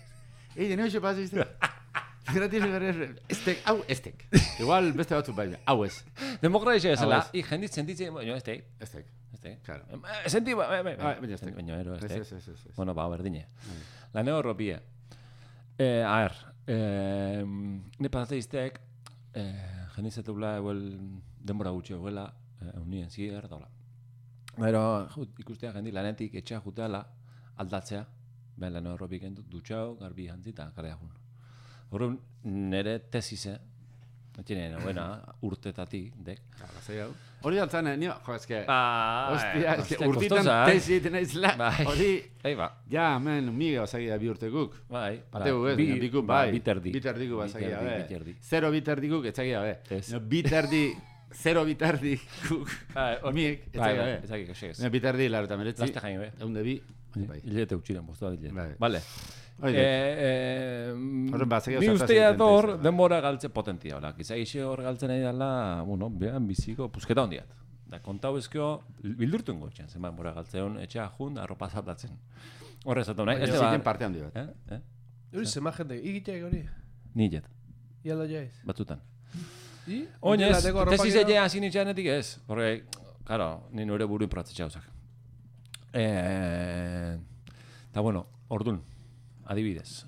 Ei, deneo xe pasa izte. Irrati librea, estek, hau, estek. Igual beste batzuk bai, hau ez. Demokrazia ezela, i jendit sentitzen, baina estek. Estek. Estek. Claro. Senti, bai, bai, bai. Baina estek. Baina ero, estek. Ez, ez, ez. Bueno, ba, berdine. La neo ropie. Eh, a ver, eh, ne pasaste iztek, eh, jenditzetula eguel denbora gutxi eguela, eh, unien zier, daula. Pero, ikustea jendi lanetik etxea juteala, aldatzea, ben la neo ropik entut, dutxau, garbi jantzita, karea jun. Horren, nere tesise, etxene, buena, urtetatik, dek. Hori altzane, nio, jo, eske, Ba, hostia, eske, urtitan tesi tenaiz la, hori, Ei, ba. ja, men, miga osagia bi urteguk. Bai, Pateu ez, baina bikuk, bai. Biterdi. Biterdiku basagia, be. Biterdi. Zero biterdikuk etzagia, be. Ez. No, biterdi, zero biterdikuk, miek, etzagia, be. Etzagia, kexegez. No, biterdi, laro eta meretzi. Laste jain, be. Eunde bi, bai. Hilete utxiren, bostua hilete. Bai. Vale. Hori, Horren ba, Ni ustea dor, denbora galtze potentia, hola. Giza ixe hor galtzen nahi dela, bueno, behan biziko, pusketa hondiat. Da, kontau ezkio, bildurtu ingo etxean, zenba denbora galtzeon, etxea jun, arropa zatatzen. Horre zatu nahi. Baina ziken parte handi bat. Eh? Eh? Hori zema jente, igiteak hori. Ni jet, Ialdo jaiz. batzutan. I? Oinez, Lateko arropak tesis edo? etxea hasi nitxeanetik ez. Porque, claro, ni nire buru improbatzetxe hauzak. Eh, eta bueno, ordun, adibidez,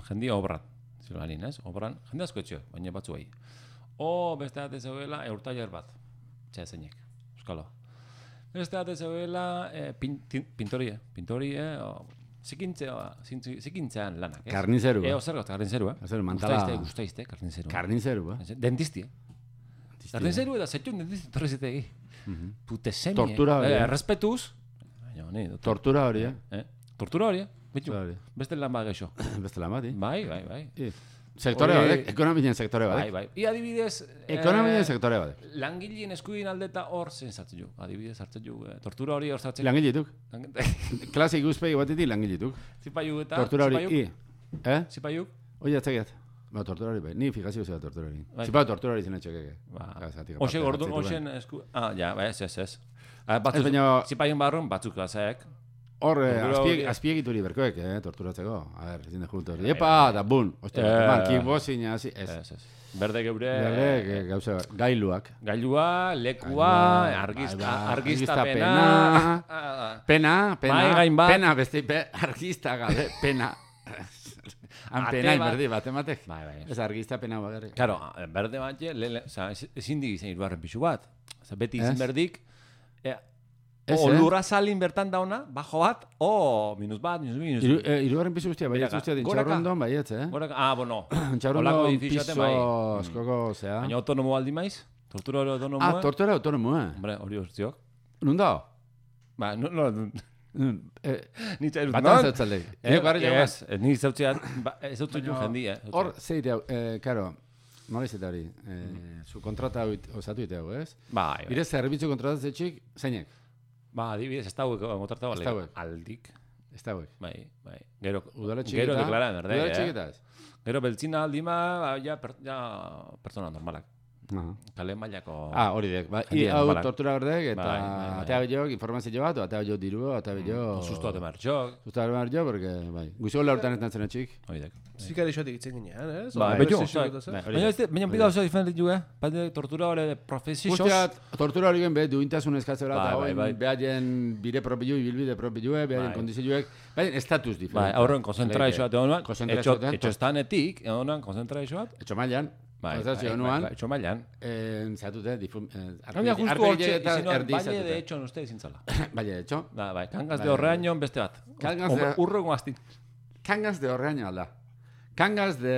jendia obran, ziloganin, ez? Obran, jende asko etxeo, baina batzu bai. O, beste bat ez egoela, eurtailer bat, txea zeinek, euskalo. Beste bat ez egoela, eh, pin, tin, pintorie, pintorie, o, zikintzea, zikintzean lanak, ez? Karnizeru, Eh, ba. ozer got, karnizeru, eh? Ozer, mantala. Guztaizte, guztaizte, karnizeru. Karnizeru, ba. Dentisti, eh? Karnizeru eta zetxun dentisti torri zitegi. Pute semi, Tortura hori, eh? eh? Respetuz. Baina, honi, doctor. Tortura hori, eh? Eh? Tortura hori, eh? Bitu, Hori. beste lan bat geixo. Beste lan bat, eh? Bai, bai, bai. I. Sektore Hori- badek, ekonomien sektore Bai, badek. bai. I adibidez... Ekonomien sektore badek. Langileen eskubin aldeta hor zen sartzen ju. Adibidez hartzen ju. Eh, tortura hori hor sartzen. Langiletuk. Klase ikuspegi batetik langiletuk. Zipaiuk eta... Tortura hori, i. Eh? Zipaiuk? Oia, etzakiat. Ba, tortura hori, bai. Ni fijazio zera tortura hori. Bai. Zipa tortura hori zen etxekeke. Ba, Gazatik Oxe aparte gordun, hartzitu oxen ben. esku... Ah, ja, bai, ez, ez, ez. Ah, batzuk, Ez, baina- zipaiun barrun, batzuk gazaek. Hor, eh, Tortura azpieg, hori- azpiegituri berkoek, eh, torturatzeko. A ver, ezin de junto. Bai, Epa, bai. da bun. Ostia, Eh. man, kickboxing, hasi, ez. Ez, ez. Berde geure... Berde, que gauza, gailuak. Gailua, lekua, Gailua, argizta, bai, bai, argiztapena... argiztapena. Ah, Pena, pena, Mahai gain bat. pena, beste, pe, argista gabe, pena. Han Ate pena, bat. berdi, bat ematek. Bai, bai. Ez argista pena bagarrik. Claro, berde bat, je, le, le, oza, ez- ezin dik izan irugarren pixu bat. Oza, beti izin Ez? berdik, e, Ez, o eh? lurra salin bertan dauna, bajo bat, o minus bat, minus bi, minus Iru, bi. eh, irugarren pisu guztia, baietz Goraka, guztia, goraka. dintxaurrondon, baietz, eh? Gora, ah, bueno, Holako Txaurrondon edificio piso baten bai. askoko, zea. baina autonomo aldi maiz, tortura hori autonomo. Ah, tortura autonomo, eh? Hombre, hori urtziok. Nun da? Ba, no, no, no, Nun, eh, ni txairut, Batan zautzaldek. Eh, Eko harri joan. ez, eh, ni zautzeat, ba, ez zautzu Baina, jendi, eh. Hor, zeite hau, eh, karo, nola izate hori, eh, zu kontrata hau it- osatu ite hau, ez? Bai, bai. Bire zerbitzu kontratatzetxik, zeinek? Ba, adibidez, ez dauek kontrata Ez bale. dauek. Aldik. Ez da hauek. Bai, bai. Gero, Udaletxik gero eta... deklaran, berde, Udaletxik eh? eta ez. Gero beltzina aldima, ba, ja, per, ja pertsona normalak. Aha. Kale mailako... Ah, hori dek. Ba, i, Jendia hau normalak. tortura berdek, eta Bai, bai, bai. atea bilok informazio bat, o atea bilok diru, atea bilok... Susto bat emartxok. Susto bat emartxok, porque, bai. Guizio la hortan etan zen etxik. Oidek. Zikari xoatik itzen ginean, ez? Bai, Ondo, betxo, ez bai. zizuk eta Bai, zer. Baina ez, baina bi gauza diferente ju, eh? Bate tortura hori de profesioz. Guztiat, tortura hori gen, be, duintasun eskatzera, Bai, eta bai, hori, bai. behaien bire propilu, bilbide propilu, behaien Bai. kondizioek, behaien estatus Bai, diferente. aurren konzentrazioa te honuan, Konzentrazioa etxo estanetik, honuan konzentrazioa. Etxo mailan, Bai, konzentrazio bai, honuan, bai, etxo mailan. eh, zatute, difum... Eh, Gaina justu arpegi hortxe, eta izin hor, erdi baile de zatute. etxon uste izin zala. Baile, etxo. Da, bai, kangaz Bai, de horreaino beste bat. Kangaz Hombre, de- Urrengo astin. Kangaz de horreaino alda. Kangaz de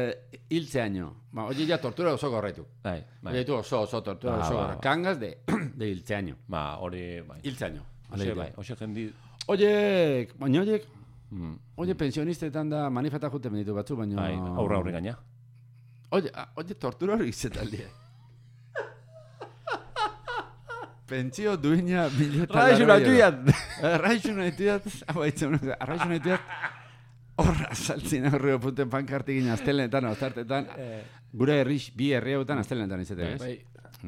hiltzeaino. Ba, oie ja tortura oso gorraitu. Bai, bai. Oie tu oso, oso tortura Ba, oso ba, gorra. ba. Kangaz de, de hiltzeaino. Ba, hori, bai. Hiltzeaino. Oxe, bai, oxe jendi... Oie, baina oiek, Mm. oie pensionistetan da manifesta jute benditu batzu, baina... Bai, aurra aurre gaina. Oye, ah, oye, tortura hori izetaldie. Pentsio duina bileta... Raixu natuian! Raixu natuiat, hau haitzen, raixu natuiat, Horra saltzen aurreo punten pankartikin astelenetan, ostartetan, gure herri, bi herri hauetan astelenetan izatea, ez? Bai.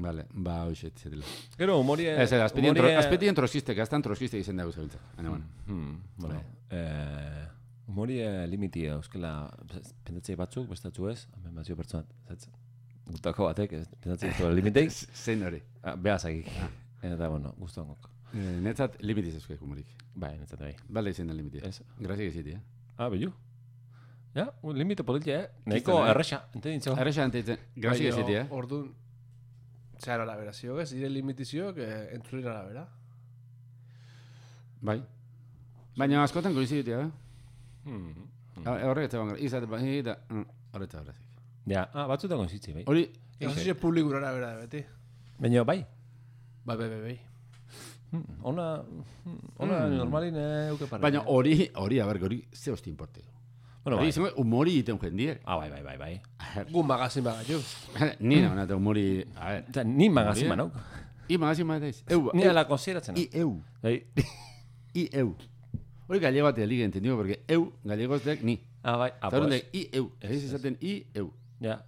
Vale, ba, hoxe, txetela. Gero, humorie... Ez, ez, azpetien troskistek, aztan troskistek izan dago zabiltza. Baina, bueno. Hmm, bueno, eh, humorie limiti euskela pensatzei batzuk, bestatzu ez, hemen bazio pertsonat, zatzen. Gutako batek, pensatzei ez limitei. Zein hori. Behazakik. Eta, bueno, guztuan gok. Netzat limitiz euskak humorik. Bai, netzat bai. Bale izan da limitia. Ez. Grazik eziti, eh? Ah, bellu. Ja, un limite politia, eh? Neiko erresa, entendintzo. Erresa enteditzen. Grazik eziti, eh? Orduan, zehar arabera ziok ez, dire limitizioak entzulir arabera. Bai. Baina askotan koiziditia, eh? Hmm. Horrek ez egon gara, izate, bai, eta horretza horrezik. Ja, ah, batzutan konzitzi, bai. Hori, Konzizio publikura arabera da beti. Baina, bai. Bai, bai, bai, bai. Hmm, Ona, ona normalin euke parra. baina hori, hori, a ber, hori, ze hosti importe. Bueno, Hori, bai. izango, humori iten jendiek. Ah, bai, bai, bai, bai. Gu magazin bagatu. Ni nauna eta humori, a ver, Osa, ni magazin Hori, manauk. i magazin bat daiz. Eu, Ni eu, ala konsideratzen. i eu, Bai. i eu. Hori gallego bat elige entendido, porque eu, gallegoztek, ni. Ah, bai. Ah, Eta hori pues. i eu, ez izaten i eu. Ja.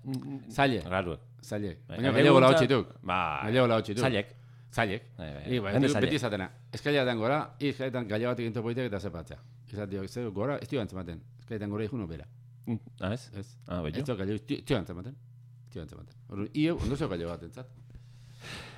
Zaile, Raruek. zaile. Bai, Baina gallego gallego la guntza- hotxituk. Bai. Gallego la hotxituk. Zailek. Zailek. Bai, bai. I, bai, Jende beti zailek. izatena. Eskailetan gora, i eskailetan gallego batik into poitek eta zepatzea. Izatio, ez gora, ez tio antzematen. Eskailetan gora ikuno bera. Ah, ez? Ez. Ah, Ez bello. tio gallego, tio tio antzematen. Tio antzematen. Orduan, i eu, ondo zeo gallego bat entzat.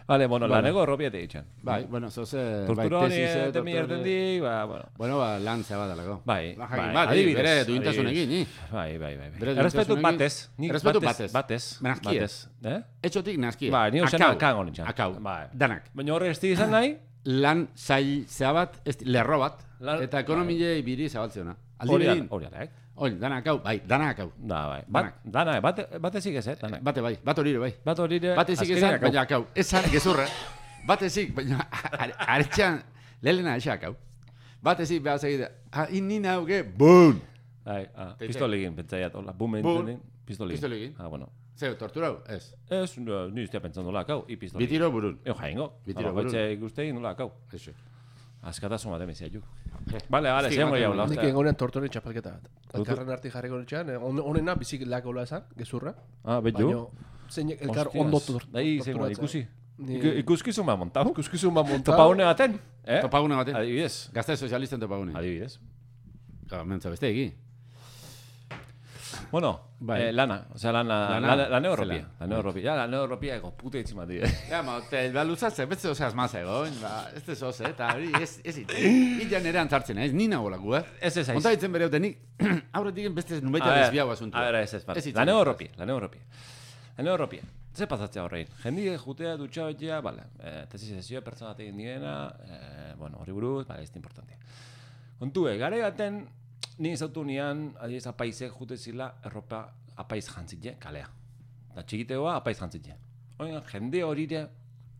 Vale, bueno, Vale. laneko erropiete ditzen. Bai, bueno, zoze, bai, Tortura honi tesis, eh, temi tortura- ertendi, ba, bueno. Bueno, ba, lan zabadalako. Bai, Ba, jakin bai, bat, adibidez, bere duintasunekin, ni. Bai, bai, bai. Bere bai. Errespetu duintasunekin- batez. Nik Errespetu batez. batez. Batez. Menazkie. Batez. Eh? Etxotik naskia. Bai, ni ozen Akau. akango nintzen. Akau. Bai. Danak. Baina horre ez izan nahi, Lan zail zehabat, ez, lerro bat, Lan- eta ekonomile biri zabaltzeona. Aldi hori behin, da, hori da, eh? oin, danak hau, bai, danak hau. Da, bai. Bat, dana, bate, bate zik ez, eh? Danak. Bate bai, bat hori ere bai. Bat hori ere, Bat ezik azkenean esan, akau. baina akau. Esan, gezurra. Bat ezik, baina aretxan, lehena esan akau. Bat ezik behar segide, ah, inina hauke, boon! Bai, ah, Teite. pistolegin, pentsaiat, hola, bumen Bum. zenin, pistolegin. Pistolegin. Ah, bueno. Zeu, torturau, ez. Ez, no, ni ustea pentsando la akau, i pistolegin. Bitiro burun. Eo jaingo. Bitiro Bitiro burun. baitxe ikustein nola akau. Eso. Askatasun bat emizia juk. Vale, vale, Estik zein baten goi hau, hori. Nik ostia. egonean tortoren txapelketa bat. Elkarren arti jarriko nitxean, honena bizik lakola esan, gezurra. Ah, betju. Baina, zein elkar Hostias. ondo tor- Dai, zein goi, torturatzen. ikusi. Ni- Iku- Ikuskizun bat montau. Ikuskizun bat montau. Topagune baten, eh? Topagune baten. Adibidez. Gazte sozialisten topagune. Adibidez. Claro, mentza beste egi. Bueno, Bai. eh, lana, o sea, lana, Lana, lana, lana europia. zelan. Lana europia. Ja, lana europia ego puta itzima dira. Ja, ma, te, ba, luzatze, beste osaz maz egon, ba, ez te zoz, eta hori, ez, ez it. Illa nere antzartzen, ez, nina golaku, eh? Ez ez aiz. Onta ditzen bere nik, aurretik beste nubaita A ver, desbiago asuntua. A ver, ez ez bat. Ez hitz Lana egin. europia, lana europia. Lana europia. Ze pasatzea horrein? Jendi jutea dutxa betia, vale, eh, tesis sesio pertsona egin diena, eh, bueno, hori buruz, vale, ez da importante. Kontue, gare baten, ni izautu nian, adiez apaizek jute zila, erropa apaiz jantzitje, kalea. Da txikitegoa apaiz jantzitje. Oigan, jende horire,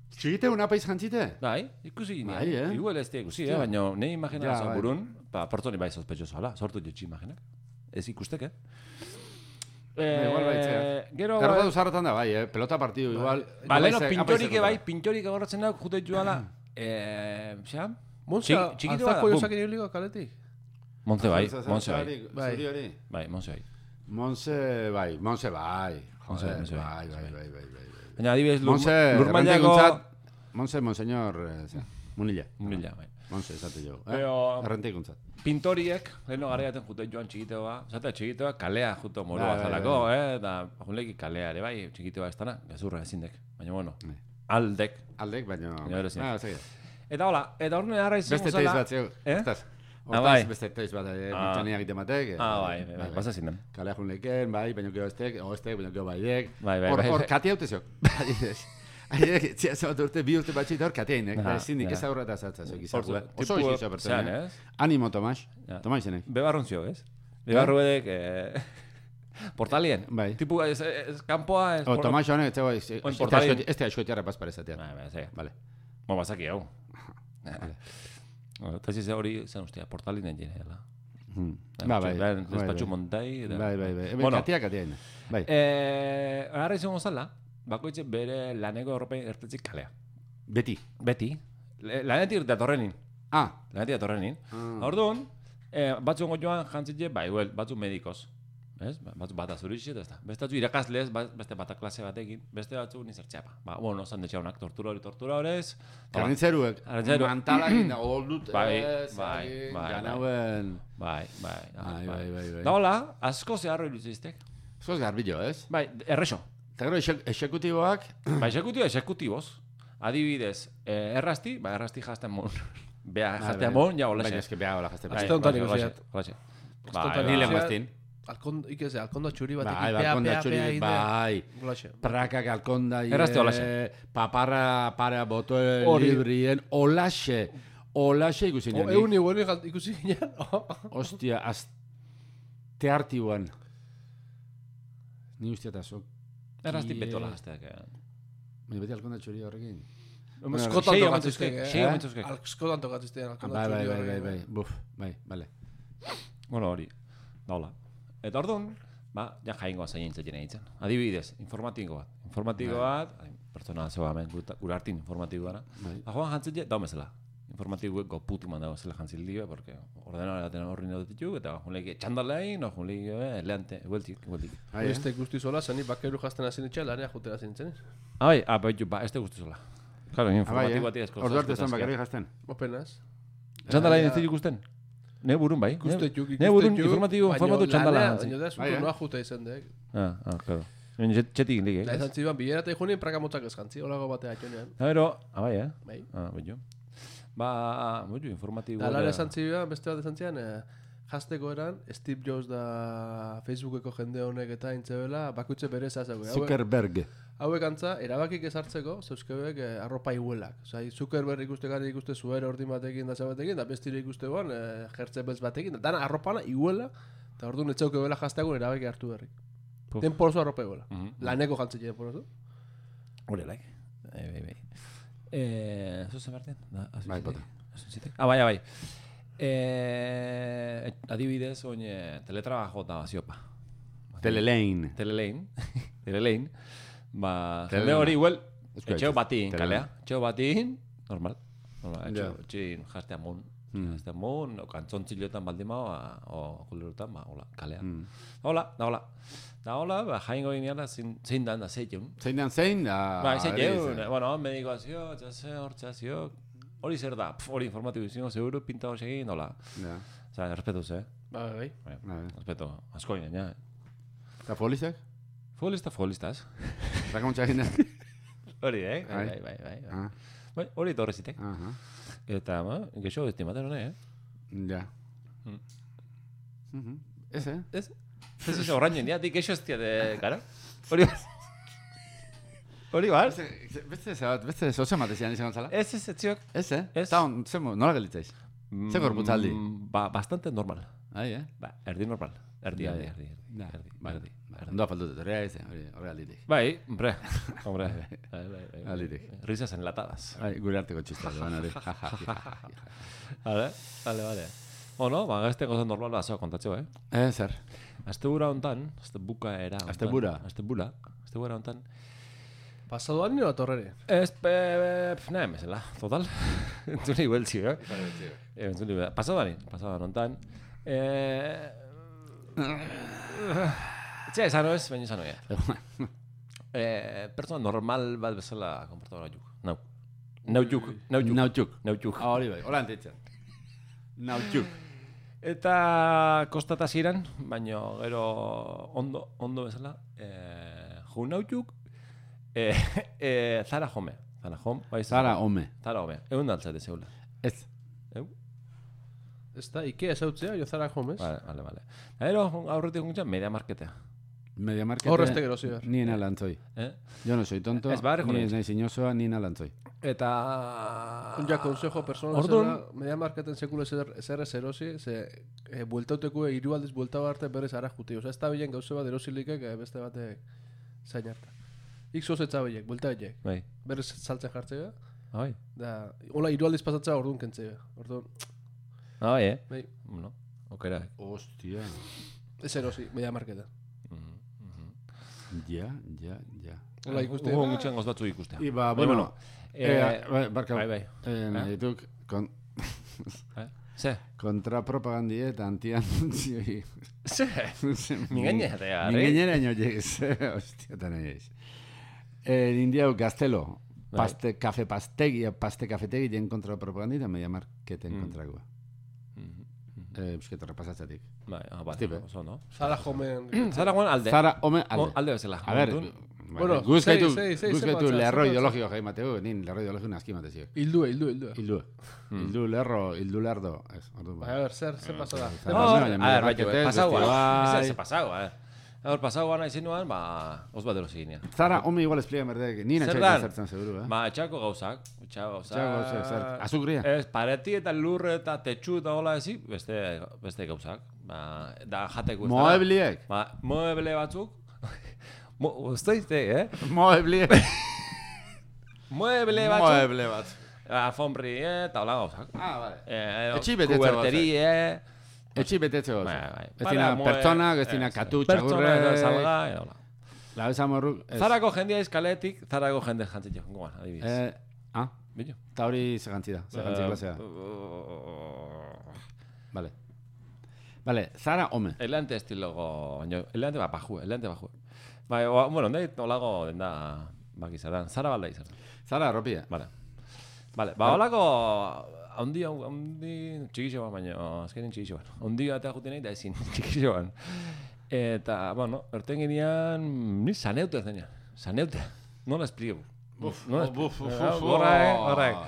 Txigite una paiz jantzite? bai, ikusi ginean. Bai, eh? Igual ez da ikusi, eh? Hostia. Baina nahi imagina Ja, ja, bai. burun, ba, pertsoni bai sospechoso hala, sortu jetxi imaginak. Ez ikustek, eh? Ba, igual baitzea. Gero, Kargatu zarretan da, bai, eh? Pelota partidu, igual. ba, leheno, Apaizek- pintorik apaizek bai, dutela. pintorik agorratzen dauk, jute joala, eh, xa? Monza, Txiki- txikito bada, alzako bum. jozakin ibiliko kaletik. Montze bai, Zari- Montze bai. zari- Bai. zuri hori? Bai, Montze bai. Monse, bai, Monse, bai. Monse, Joder, Monse, bai, bai, bai, bai, bai, bai. Baina adibidez, lur, Monse, lurmailako... errentikuntzat, Monse, monseñor, eh, zera, Munilla. Mila, bai. Monse, esate jo. Eh? Pero- Errentikuntzat. Pintoriek, leheno garaiaten jute joan txikiteoa, zata txikiteoa kalea juto moru Bai, bai, bazalako, eh? Da, junleki kalea ere bai, txikiteoa ez dana, gezurra ezindek. Baina bueno, Bai. aldek. Aldek, baina... Baina bere zin. Ah, zegi. Eta hola, eta horren arra izango Beste teiz zala... bat, zeu. Eh? Estaz. Ah, Hortaz, bai. beste teiz bat, eh, Ah. mitxania egiten batek. eh, Ah, bai, bai, bai, basa zinen. Kalea jun leken, bai, baina gero estek, o estek, baina gero baidek. Bai, bai, Hor, bai, hor, bai. kati haute zeok. Adibidez. Adibidez, txia zabat urte, bi urte batxit hor kati hainek. Aha, Ezindik ja. ez aurreta zatza zeok izartu, eh? Oso Tipo- izizua pertsona. zean, eh? ez? Animo, Tomas. Ja. Tomas izenek. Bebarrun zio, ez? Bebarru edek, eh... Portalien. Bai. Tipu, ez, ez, kanpoa... Ez, O, Tomas honek, ez zegoa, Oin portalin. ez te askoetiarra pasparezatean. Bai, bai, zega. Vale. Mo, bazaki hau. Eta ez hori, zen ustea, portalin egin dela. Hmm. Ba, bai. Ben, bai, despatxu bai. montai... eta- Bai, bai, bai. Hemen Bueno, katia, katia hain. Bai. eh, agarra izango zala, bakoitze bere laneko Europein ertetzik kalea. Beti. Beti. Le- Lanetik datorrenin. Ah. Lanetik datorrenin. Ah. Orduan, Eh, batzuk joan jantzitze, bai, well, batzuk medikoz. Ez? Batzuk bata zurixe, ez da. Beste batzu irakaslez, beste bata klase batekin, beste batzuk nizertxeapa. Ba, bueno, zan detxaunak, tortura hori, tortura horez. Karnitzeruek, Karnitzeru. mantalakin da, oldut, Bai, ez, bai, egin, bai, janauen. Bai, bai, Bai, bai, bai, bai. Da hola, asko zeharro iluziztek. Zoz garbillo, ez? Bai, errexo. Eta gero, exek- exekutiboak, Ba, exekutibo, exekutiboz. Adibidez, eh, errasti, ba, errasti jazten mon. Bea, jazten mon, ja, Baina olaxe. eske beha hola jazte. Bai, Aste honetan olaxe, ikusiat. olaxe. Aste Bai, Ni bai. lenguaztin. Alkon, ikeze, alkonda txuri batekin, Bai, pea, balkonda pea, txuri, pea, inde. bai. Golaxe. Prakak alkonda, Errazte olaxe. paparra, para, boto Hori. librien, olaxe. Olaxe ikusi O, nionik. egun igual ikusi ginen. Ostia, azteartiguan. Ni ustia eta sok. Errasti betola jazteak. Baina beti alkonda txuri horrekin. Askotan sei tokatziztek, omentzuzkek, eh? sei omentzuzkek. Askotan tokatziztek, alkonda Bai, bai, txuri bai, bai, horrekin. bai. Buf, bai, bale. Bueno, hori, da hola. Eta orduan, ba, ja jaingoa zain entzatien egiten. Adibidez, informatiko bat. Informatiko bat, ai, pertsona zeba hemen, guta- gure hartin informatiko gara. Bai. Ba, joan jantzitze, dago bezala. Informatikoek goputu mandago zela jantzil dio, porque ordenadora baten horri nire ditu, eta junleik txandalein, no junleik eleante, hueltik, hueltik. Bai, eh? Beste guzti zola, zani bakeru jazten hasi nitxe, lanea jutera zintzen. Ah, bai, ah, bai, ba, este guztizola. Claro, Ah, bai, informatiko bati eh? esko. Ordu arte ez bakarrik jazten. Openaz. Txandalain ez ditu ikusten? Ne burun bai. Ikuste juk, Ne burun informatiko, informatu txandala. Baina da, Bai, eh? zutu noa jute izan dek. Ah, ah, claro. Baina txetik lik, Da eh? izan ziban, bilera eta ikunien praka motzak ez jantzi, holago batea atxonean. Da, bero, ah, bai, eh? Bai. Ah, bai, jo. Ba, bai, jo, informatiko. Da, lara esan ziban, beste bat esan zian, eh, jazteko eran, Steve Jobs da Facebookeko jende honek eta intzebela, bakutze bere zazako. Zuckerberg. Hauek antza, erabakik ezartzeko, zeuzkebek eh, arropa iguelak. Osea, Zuckerberg ikuste gari ikuste zuer ordin batekin da batekin, da bestire ikuste guan, eh, jertze beltz batekin, da dana arropana iguela, eta orduan etxauke bela jazteagun erabaki hartu berrik. Puf. Tenporozo arropa iguela. Mhm. Laneko jantzit tenporozo. Hori laik. Bai, bai, bai. Eh, zuzen berten? Da, hasi Bai, zitek? bota. Hasi zitek? Ah, bai, bai. Eh, adibidez, oin, teletrabajo da ziopa. Telelein. Telelein. Telelein. Ba, Telelana. jende hori, igual, Euskal etxeo hitz. batin, Telelana. kalea. Etxeo batin, normal. Normal, etxeo, Ja. etxein jastea mun. Mm. Jastea mun, o kantzontzilotan baldin mao, o kulerutan, ba, hola, kalea. Mm. Hola, da hola. Da hola, ba, jaingo ginean, zein zein dan da zeitzun. Zein dan zein, da... Ba, zein hori jeun, izan. bueno, medikoazio, txase, hor txasio, hori zer da, pf, hori informatibo izango, seguro, pinta hosegin, hola. Ja. Osa, respetuz, eh? Ba, bai. Bai, Bai. respeto, asko ginen, ja. Eta polizek? Futbolista, futbolistas. Rakamontxa egin da? Hori, eh? Bai, Bai. bai, bai, bai. Ah, Bai, hori torre zitek. aha. Eta, ba, gexo, estimaten hone, eh? Ja. Mm. Mhm. Ez, eh? Ez? Ez ez horrainen, ja, dik gexo ez de, gara? Hori bat. Hori bat? Beste, beste, zebat, beste zozen matezian izan gontzala? Ez, ez, ez ziok. Ez, eh? Ez. Eta on, zemo, nola gelitzaiz? Ze gorputzaldi? Mm, Ba, bastante normal. Ai, eh? Ba, erdi normal. Erdi, Ja, erdi, ja. erdi, erdi, Ja, erdi, bai. erdi, erdi. Ondo faltut, hori ez, hori hori alditik. Bai, hombre, hombre. Bai, bai, bai. Alitik. Risas enlatadas. Ai, gure arteko txista, joan hori. Ja, ja, ja, ja. Vale, vale, vale. Ono, ba, gazte gozan normal bat zoa kontatxo, eh? Eh, zer? Azte bura hontan, azte buka era hontan. Azte bura? Azte bura, azte bura hontan. Pasadoan nio atorrere. Ez, pe, pe, nahi mesela, total. Entzuni hueltzi, eh? Eh, Entzuni, pasadoan, pasadoan hontan. Eh... Etxea, esan ez, baina esan oia. Eh, pertsona normal bat bezala komportatu juk. Nau. Nau juk, nau juk. Nautxuk. Nau juk. Ah, hori bai, hola antitzen. Nautxuk. Eta kostata ziren, baina gero ondo, ondo bezala, eh, ju nau juk, eh, eh, zara jome. Zara jom, bai Zara, home. Zara jome. Egun daltzate zeula. Ez. Eu? Ez da, Ikea ezautzea, jo zara jomez. Vale, vale, vale. Eta gero, aurretik guntza, media marketea. Media market. Hor este gero ziber. Ni ena lantzoi. Eh? Yo no soy tonto, Ez, barreko ni naiz. naiz inozoa, ni ena lantzoi. Eta... Ja, consejo personal Orduan- zela, media marketen sekule zer zer ez erosi, ze e, bueltauteko hiru aldiz buelta arte berez ara juti. Osea, ez da bilen gauze bat erosilikek eh, beste batek zain harta. Ixoz etza bilek, buelta bilek. Bai. Berez saltzen jartzea, Bai. da, hola hiru aldiz pasatzea orduan kentzea. Orduan, Ah, bai, eh? bai, No, okera. Hostia. ez erosi, media marketa. Mhm, mhm. Ja, ja, ja. Hola ikuste. Hugo gutxen goz batzu ikustea. Iba, Baina, bueno, eh, eh, bai, barka. bai, bai. Eh, nahi duk, kon... Eh? Ze? Kontrapropagandi eta antianunzioi. Ze? Mingainera, eh? Mingainera ino llegues. Hostia, tan egez. En Indiau Gaztelo, paste, kafe pastegi, paste kafetegi jen kontrapropagandi eta media marketen kontragoa. Eusketa repasatzatik. Bai, ah, bai, oso, no? Zara jomen... Zara joan alde. Zara homen alde. Alde bezala. A ver, bueno, guzkaitu, sei, sei, sei, guzkaitu sei, lerro sei, ideologio jai mateu, nin lerro ideologio naski matezio. Hildue, hildue, hildue. Hildue. Hildu lerro, hildu lerdo. Ez, ordu A ver, zer, zer pasa da? No, a ver, bai, pasaua. Ez pasaua, eh. Hor, pasaua nahi zinuan, ba, os bat erosi ginean. Zara, home igual espliega merdek, nina txaita zertzen seguru, eh? Ba, etxako gauzak, etxako gauzak. Etxako gauzak, zer, azukria? Ez, pareti eta lurre eta tetxu eta hola ezi, beste, beste gauzak. Ba, da jateko ez dara. Moebliek? Ba, moeble batzuk. Mo, usteizte, eh? Moebliek. Mueble batzuk. Mueble bat. Alfombri, eta hola gauzak. Ah, vale. Eh, Etxi betetze gauzak. Kuberterie. Etxi betetze Bai, gauzak. bai. Bestina pertsona, bestina katu, txagurre. Pertsona, salga, eta hola. La besa morruk. Zarako jendea izkaletik, zarako jende jantzit jo, goan, adibidez. Eh, ah? Billo? Eta hori segantzi da, segantzi klasea. Vale. Vale, Zara home. Elante estilogo, baina, elante bat bajue, elante bajue. Bai, o, bueno, nahi olago den da, baki zerdan, Zara balda izan. Zara arropia. Vale. Vale, ba, olako, haundi, haundi, txikixo ban, baina, azkenin txikixo ban. Haundi batea juten nahi da ezin, txikixo ban. Eta, bueno, erten ginean, ni saneute ez denean, saneute, nola espliegu. Buf, nola buf, buf, espliegu. buf, Gorrak, gorrak,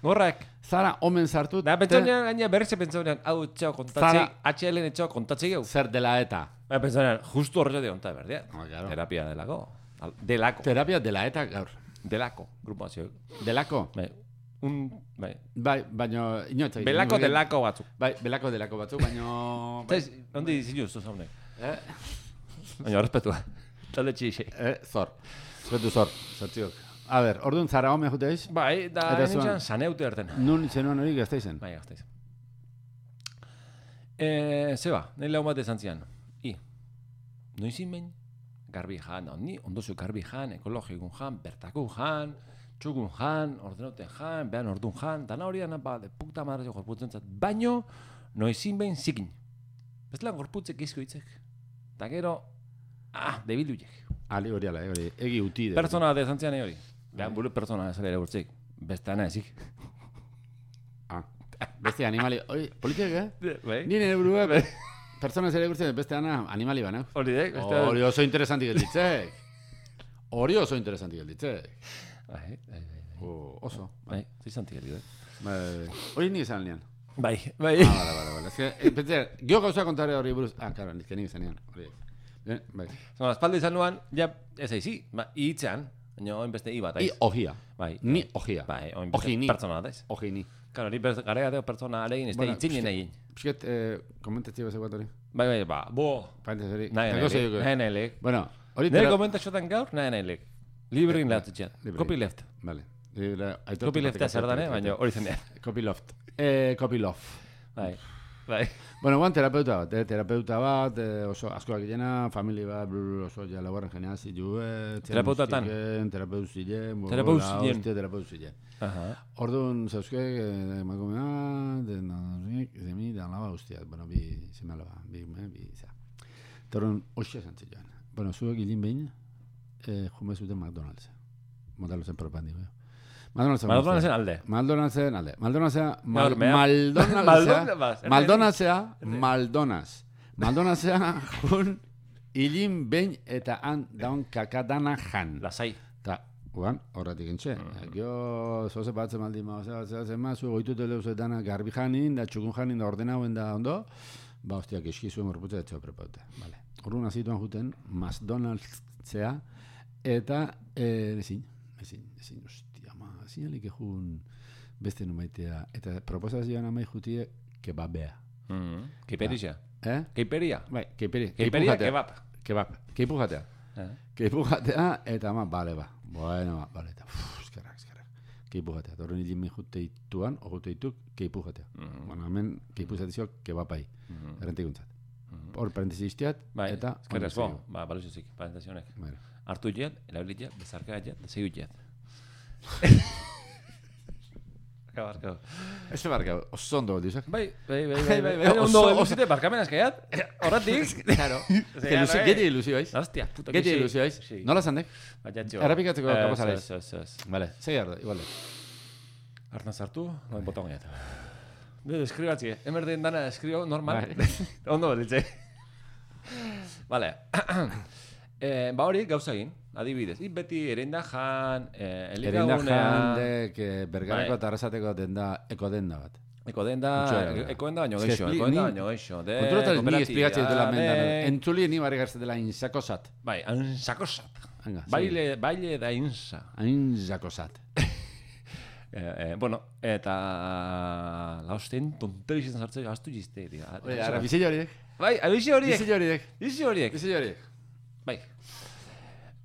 gorrak. Zara homen sartu. Da, pentsonean, gaina berrize pentsaunean, hau etxeo kontatzi, H L N etxeo kontatzi geu. Zer dela eta. Ba, pentsonean, justu horretu dion, eta berdea. Ah, claro. Terapia delako. Al- Delako. Terapia dela eta gaur. Delako, grupazio. Delako? Bai, un, bai. Bai, baino, inoetzak. Belako delako batzuk. Bai, belako delako batzuk, baino... Zaiz, ondi zinu zu zaune. Eh? Baina, respetua. Talde txixi. Eh, zor. Zertu zor, zertziok. A ber, orduan Zara home juteiz? Bai, da Eta nintzen zuan- saneute erten. Nun zenuan hori gazteizen? Bai, gazteiz. Eh, zeba, nahi lau bat esan zian. I, noizin behin, garbi jan, ni ondozu garbi jan, ekologikun jan, bertakun jan, txukun jan, ordenuten jan, behan ordun jan, dana hori dana, ba, de puta madre gorputzen zat, baino, noizin behin zikin. Bestelan gorputzek izko hitzek. Ta gero, ah, debiluiek. Ali hori ala, eh, hori, egi uti. de- Pertsona bat esan zian hori. Behan buru pertsona ez ere urtzik. Beste ana ezik. Ah, beste animali, oi, politiek, eh? Bai? Ni nire burua, pertsona zere gurtzen, beste ana animali bana. Hori dek, beste... Hori oso interesanti gelditzek. Hori oso interesanti gelditzek. Bai, bai, bai. Oh, oso. Bai, zizantik edo. Bai, hori ni esan lian. Bai, bai. Ah, vale, vale, vale. Es que, eh, pensé, gio gauza kontare hori buruz. Ah, claro, nizke nik esan lian. Hori. Bien, bai. Zona, espalda izan nuan, ja, ez aizi, ba, hitzean, baina oin beste i bat, I aiz. ojia. Bai. Ni ojia. Bai, oin Oji beste ni. pertsona bat, aiz. Oji ni. Claro, ni gara deo pertsona alegin, ez da Bueno, itzinen pixket- egin. Pisket, eh, komentatzi bezak bat hori. Bai, bai, ba, bo, Paintez hori. nahi Tako zei nahi, dugu. nahi nahi lek. Bueno, hori Nire tera... komentatxotan gaur, nahi nahi lek. Librin lehatzitxean, Libre. copy left. Vale. Libre, aitortu Copy leftea batek zer dan, eh, aitortu baina batek. hori zenean. Copy loft. Eh, copy loft. Bai, bai. Bueno, guan terapeuta bat, eh? terapeuta bat, eh, oso askoak gilena, famili bat, blur, oso ja laugarren jenea zilue, Terapeutatan? terapeutu zilen, Terapeutu zilen. hostia, terapeutu zilen. Aha. Orduan, zauzke, eh, emakumea, den, zemi, da laba guztiak, bueno, bi, zeme alaba, bi, eh, bi, za. Torren, hoxe esan zilean. Bueno, zuek hilin behin, eh, jume zuten McDonald's. Modalozen propandi, eh. McDonald'sen McDonald'sen alde. McDonald'sen alde. McDonald'sea, mal, Gaur, mea. Maldonald'sea, Maldonald's. Maldonald'sea, Maldonald's. Maldonald'sea, jun, hilin behin eta han daun kakadana jan. Lasai. Ta, guan, horretik entxe. Gio, zoze batzen maldi ma, oza, oza, zema, zu goitute lehuz dana garbi janin, da txukun janin, da ordenauen da ondo, ba, hostiak eski zuen morputza etxeo prepaute. Vale. Horren azituan juten, McDonald'sea, eta, eh, ezin, ezin, ezin, hostia, ma, ezin alik ejun beste numaitea, eta proposazioan amai jutie, kebabea. Keiperia. Eh? Keiperia. Bai, keiperi, Keiperia, jatea. kebab. Kebab, keipu jatea. Eh. Keipu jatea, eta ma, bale, ba. Bueno, ba, bale, eta, uff, eskerrak, eskerrak. Keipu jatea. Torren hilin juteituan, o juteituk, keipu jatea. Bueno, hemen, keipu zatizio, kebapai. Errentikuntzat. Hor, parentesi iztiat, Bai, eta... eskerrez bo, ba, baluzuzik, parentazionek. Bueno. Hartu jet, erabilit jet, bezarka jet, da zeiut jet. Barkau, barkau. Ez barkau, oso ondo dizak. Bai, bai, bai, Bai, bai, bai, Ondo, oso- ondo zite, barkamen azkaiat. Horretik. Claro. Que ilusio, geti ilusioiz. Hostia, puta Geti ilusioiz. Sí. Nola zandek? Baina txo. Errepikatzeko kapaz alaiz. Ez, ez, ez. Vale, segi ardo, igual. Artan sartu, noin botón gaiat. Bide, eskribatzi, emerdeen dana eskrio normal. Bai. Ondo belitze. Vale. Eh, ba hori gauza egin, adibidez. I beti erenda jan, eh, Erinda elikagunea... jandek, eh, bergarako Bai. eta arrasateko denda, eko denda bat. Eko denda, Utxoera. eko denda baino Ez que geixo, expli- eko denda ni- baino geixo. De Konturatu ni kooperatiba, esplikatzen dela mendan. de- Entzuli ni barri garzetela insakosat. Bai, ansakosat. Hanga, Baile, baile da insa. Insakosat. Eh, eh, bueno, eta lausten tonterik izan sartzen gaztu jizte. Oye, ara, bizillo horiek. Bai, abizi horiek. Bizillo horiek. Bizi horiek. Bizillo horiek. Bai.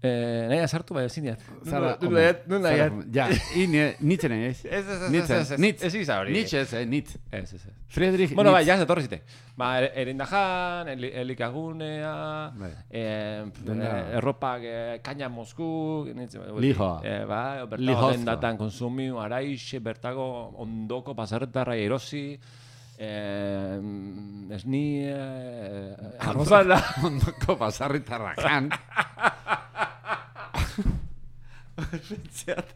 Eh, nahi sartu bai ezin diat. Zara, Nu hombre, nahi, nu nahi. Zara, hombre. Ja, ini, nitzen ez. Ez, ez, ez, Nitzen, ez, ez, nitz. ez iza hori. Nitz ez, eh, nitz. Ez, ez, ez. Friedrich Bueno, bai, Nitz. ja, zetorri zite. Ba, er- erindajan, eli- elikagunea, Bai. eh, Denda. eh, erropak, eh, kaina Mosku, nintzen, Lijoa. eh, ba, bertago Lijozko. dendatan konsumiu, araixe, bertago ondoko pasarretarra erosi, eh, esni, eh, arrozala. Ondoko pasarritarra jan. Pentseat.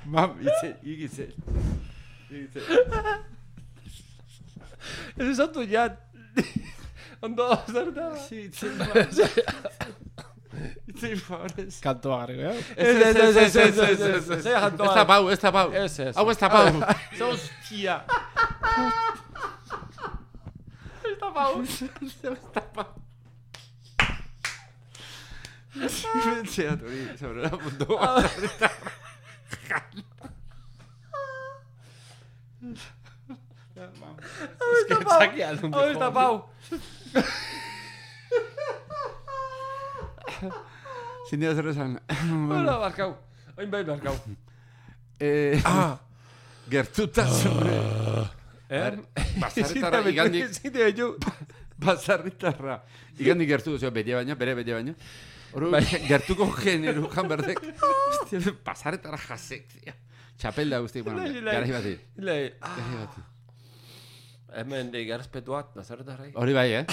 Mam, itze, igize. Igize. Ez esatu jat. Ondo, zertara. Sí, itze, itze, favorez. Kantoa garriko, eh? Ez, ez, ez, ez, ez, ez, ez, ez, Ez da pau, ez da pau. Ez, ez. Hau ez da pau. Hostia. Ez da pau. Ez da pau. Pentseat hori, sobre la punto. Ez da pau. Hau ez da pau. Sin día zer esan. Bueno, barkau. Oin bai barkau. Eh, Ah. gertutasun. Eh? Basarritarra igandik, Zite betu. basarritarra. Igandik gertu duzio, bete baino, bere bete baino. Horu, Bai. gertuko generu jan berdek. Hostia, basarritarra jasek, tia. Txapelda guztik, bueno, Lai, lai. garai bati. Lei, Garai bati. hemen de errespetuak, nazarretarrai. Hori bai, eh?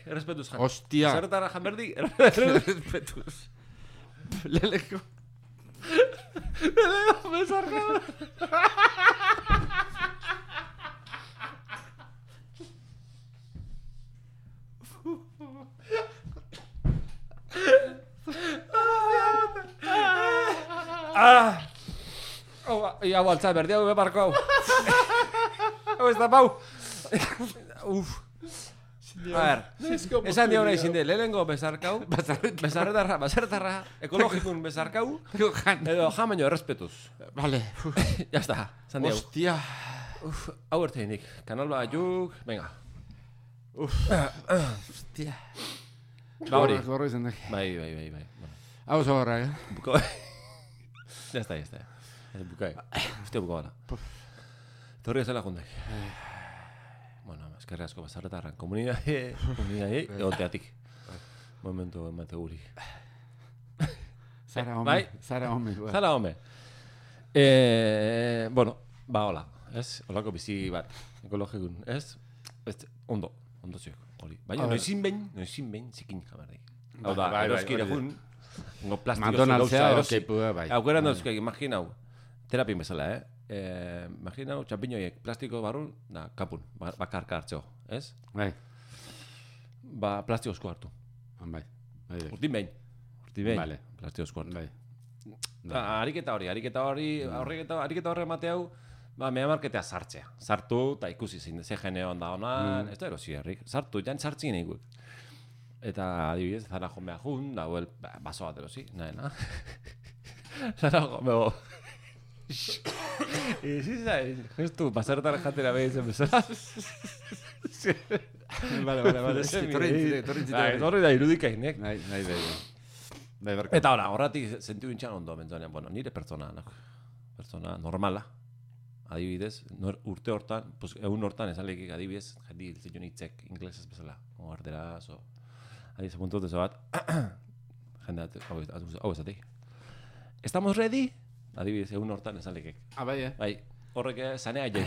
Errespetuz jan. Hostia. Nazarretarra jan berdi. Respetuz. Leleko. Bezarka. Ah! Hau, ia baltza berdi hau bebarko hau. Hau ez da pau. Uf. A ver, esan dio nahi zinde, lehenengo bezarkau, Basarritarra. bezarretarra, bezarretarra, ekologikun bezarkau, Jan. edo jan baino errespetuz. Vale. Ya está, esan dio. Hostia. Uf, hau erteinik, kanal batzuk, venga. Hostia. Ba hori. Gorro izan dek. Bai, bai, bai, bai. Bueno, Hau oso gorra, eh? buko. Ya está, ya está. Ez bukai. Uste buko bala. Torri ezela jundek. Bueno, eskerri asko bazarretarran. Komunidade, komunidade, egoteatik. Momentu emate guri. Zara Bai. home. Zara home. bai. Zara home. Eh, bueno, ba hola, ez? Holako bizi bat, ekologikun, ez? Ez, ondo, ondo ziok, hori. Baina A ber. noizin behin, noizin behin zikin jamardik. Hau Bai, da, bai, bai, eroski hori da. egun, ngo plastiko McDonald'sea erosi. okipua, bai. Aukera dauzkak, imaginau, terapin bezala, eh? Eh, imaginau, txampiñoiek plastiko barrun, da, kapun, ba- bakarka hartzeo, ez? Bai. Ba, plastikozko hartu. Bai. Bai. bai. Urtin behin, urtin behin, Vale. plastikozko hartu. Bai. Da, ariketa hori, ariketa hori, ariketa, ariketa horre emate hau, ba, mea marketea sartzea. Sartu, eta ikusi zein, ze geneoan da honan, ez da erosi herrik. Sartu, jan sartzin eguek. Eta, adibidez, zara jo mea jun, da, huel, ba, baso bat erosi, nahi, na? Zara jo mea, Ezi zai, justu, basarretara jatera behitzen bezala. Vale, vale, vale. Eski, torrentzite, torrentzite. Bai, torri da irudikainek. Bai, bai, bai. Bai, barka. Eta ora, horratik sentiu intxan ondo, bentzanean, bueno, nire pertsona, no? Pertsona normala, adibidez, nor, urte hortan, pues, egun hortan esan lehikik adibidez, jendi hiltzen hitzek inglesez bezala, o ardera, so, adibidez, puntu dut bat, Jendea, hau ezatik. Estamos ready? Adibidez, egun hortan esan lekek. Ah, bai, eh? Bai, horrek zanea jai.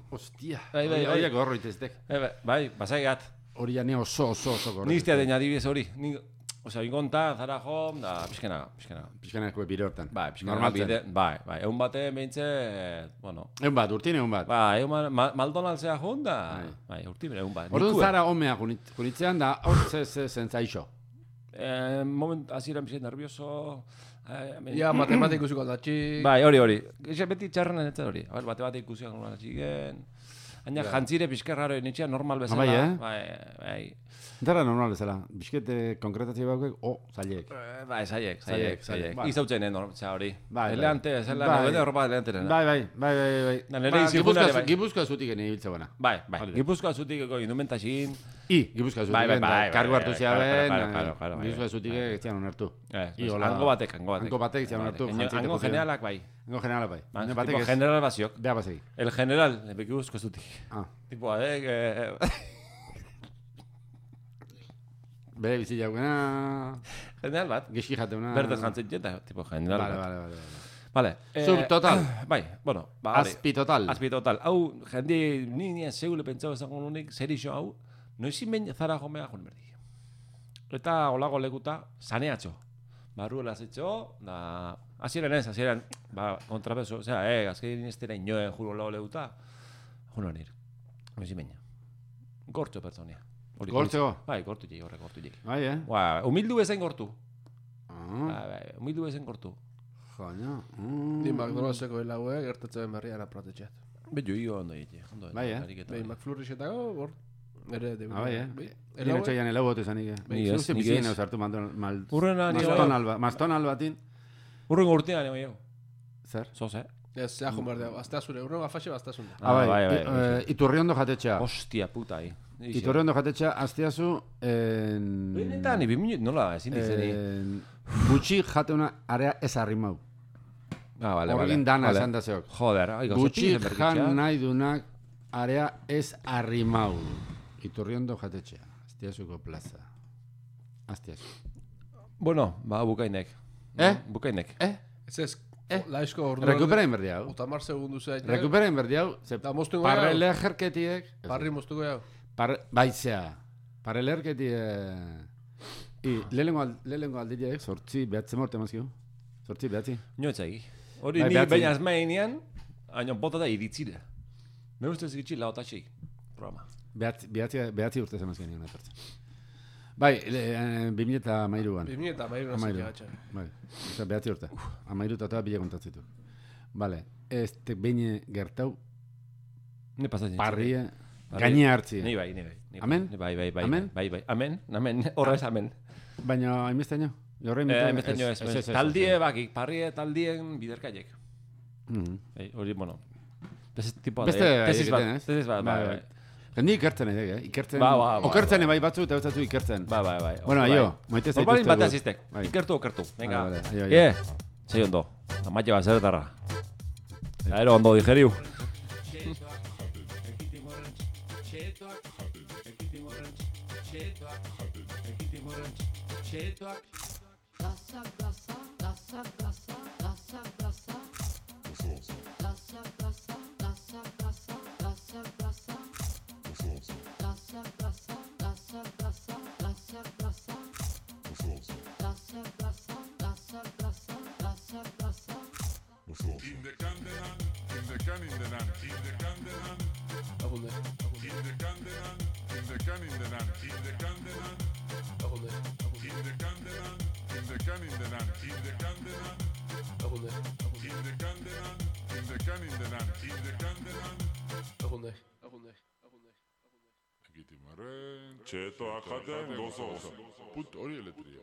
Hostia. Bai, bai, bai. Horiak gorro iteztek. Bai, basaigat. Hori ja ne oso, oso, oso gorro. Niztea deina adibidez hori. Osea, ingontan, zara jom, da, pixkenaga, pixkenaga. Pixkanako bire hortan. Bai, pixkenaga bide, bai, bai, egun bate beintze, bueno. Egun bat, urtin egun bat. Bai, egun bat, McDonaldsea jun da, bai, urtin egun bat. Orduan zara homea junitzean da, hor ze zentzaixo. Eh, moment, azira pixet nervioso. Eh, ja, matematikuziko aldatxi. Bai, hori, hori. Eze beti txarren enetzen hori. A ber, bate bat ikusiak nola txigen. Baina jantzire pixkerraro nitxea normal bezala. Bai, eh? Bai, bai. Entara normal bezala. Biskete konkretazio baukek, o, zaiek. Bai, zaiek, zaiek, zaiek. Izautzen egon, zera hori. Bai, eleante, zela, nobede horropa eleanteren. Bai, bai, bai, bai, bai. Da, nire izikundare, bai. Gipuzkoa zutik ene ibiltze buena. Bai, bai. Gipuzkoa zutik ego indumentaxin. I, Gipuzkoa zutik. Bai, bai, bai. Kargu hartu zeaben, Gipuzkoa Gipuzkoa zutik egitean onartu. Hango batek, hango batek. Hango batek egitean onartu. Hango generalak bai. Hango generalak bai. Tipo general basiok. Beha basegi. El general, Gipuzkoa zutik. Ah. Tipo, adek... Bere bizi jaukena... General bat. Gizki jateuna... Berde jantzen jeta, tipo general bat. Vale, vale, vale. Vale. Subtotal. Bai, bueno. Azpi total. Azpi total. Hau, jende, ni nien segule pentsau ezango nunik, zer iso hau, noizin behin zara jomea joan berdi. Eta olago lekuta, saneatxo. Barruela zetxo, da... Aziren ez, aziren, ba, kontrapeso, osea, eh, azkein estera inoen juro olago lekuta, juno nir. Noizin behin. Gortxo pertsonia. Gortxo? Bai, gortu jik, horrek gortu jik. Bai, eh? Ba, humildu bezain gortu. Ah. Bai, bai, humildu bezain gortu. Joño. Di McDonaldseko helaue, gertatzen berrian apratetxeat. Betu, higo ondo jik. Bai, eh? Bai, McFlurriesetago, hor, ere... Ah, bai, eh? Hien etxoian helau bote zanik, eh? Ni ez, nik ez. Zartu mal... Urrena, ni Mastonal batin. Urrengo urtean, ego, ego. Zer? Zoz, eh? Ez, zea jun behar dugu, aztea zure, urrengo afaxe baztasun. Ah, bai, bai. Iturriondo jatetxea. Hostia, puta, hi. Iturriondo jatetxea, azteazu... Benetan, ibi minut nola, ezin dizeni. Gutxi jateuna area ez arrimau. Ah, vale, vale. Horgin dana esan da zeok. Joder, aigo, gutxi jan nahi dunak area ez arrimau. Iturriondo jatetxea. Azteazuko plaza. Azteazu. Bueno, ba, bukainek. Eh? Bukainek. Eh? Ez ez, laizko ordu... Rekuperain berdi hau. Otamar segundu zein. Rekuperain berdi hau. Da moztuko gau. Parrele jerketiek. Parri moztuko gau. Baitzea. Parrele jerketiek. I, lehengo aldileek, sortzi behatze morte mazkiu. Sortzi behatzi. Nioetzagi. Hori ni baina azmainean, haino bota da iritzira. Me ustez gitxi laotatxik. Programa. Behatzi urte zemazkien nion etortzen. Bai, bi mila eta amairuan. Bi mila eta amairuan Amairu. gatxa. Bai, oza, behatzi urte. Amairu eta eta bila kontatzitu. Bale, ez te behin gertau, Ne pasatzen. parrie, gaine hartzi. Ni bai, ni bai. Amen? Bai, bai, bai. Amen? Bai, bai. Amen, amen. Horra ez amen. Baina, hainbesteño? Jorre Eh, mesteño ez. Taldie bakik, parrie taldien biderkaiek. Hori, bueno. Beste tipo da. Beste tesis bat. egiten, ez? Tesis bat, bai, bai. Ni ikertzen edek, eh? Ikertzen, Ba, ba, ba, okertzen ba. bai batzu eta batzatu ikertzen. Bai, bai, bai. Bueno, aio, maite zaituzte. Normalin batea gut. ziztek. Bai. Ikertu, okertu. Venga. Vale, vale, aio, aio. Ie, zei ondo. Amaite bat zeretarra. Aero ondo digeriu. Plaza, plaza, plaza, plaza, plaza, plaza. Plaza, plaza, plaza, plaza, plaza, plaza. Plaza, plaza, plaza, plaza, plaza, plaza. Plaza, plaza, plaza, plaza, plaza, plaza. In the Candelan, in the can in the land, in the Candelan, Agunde, in the Candelan, in the can in the land, in the Candelan, agunde, in the Candelan, in the can in the land, in the Candelan, agunde, in the Candelan, in the can in the land, in the Candelan. agunde, agunde, agunde. Ekitimaren, txetoak jaten gozoz. Put hori eletria.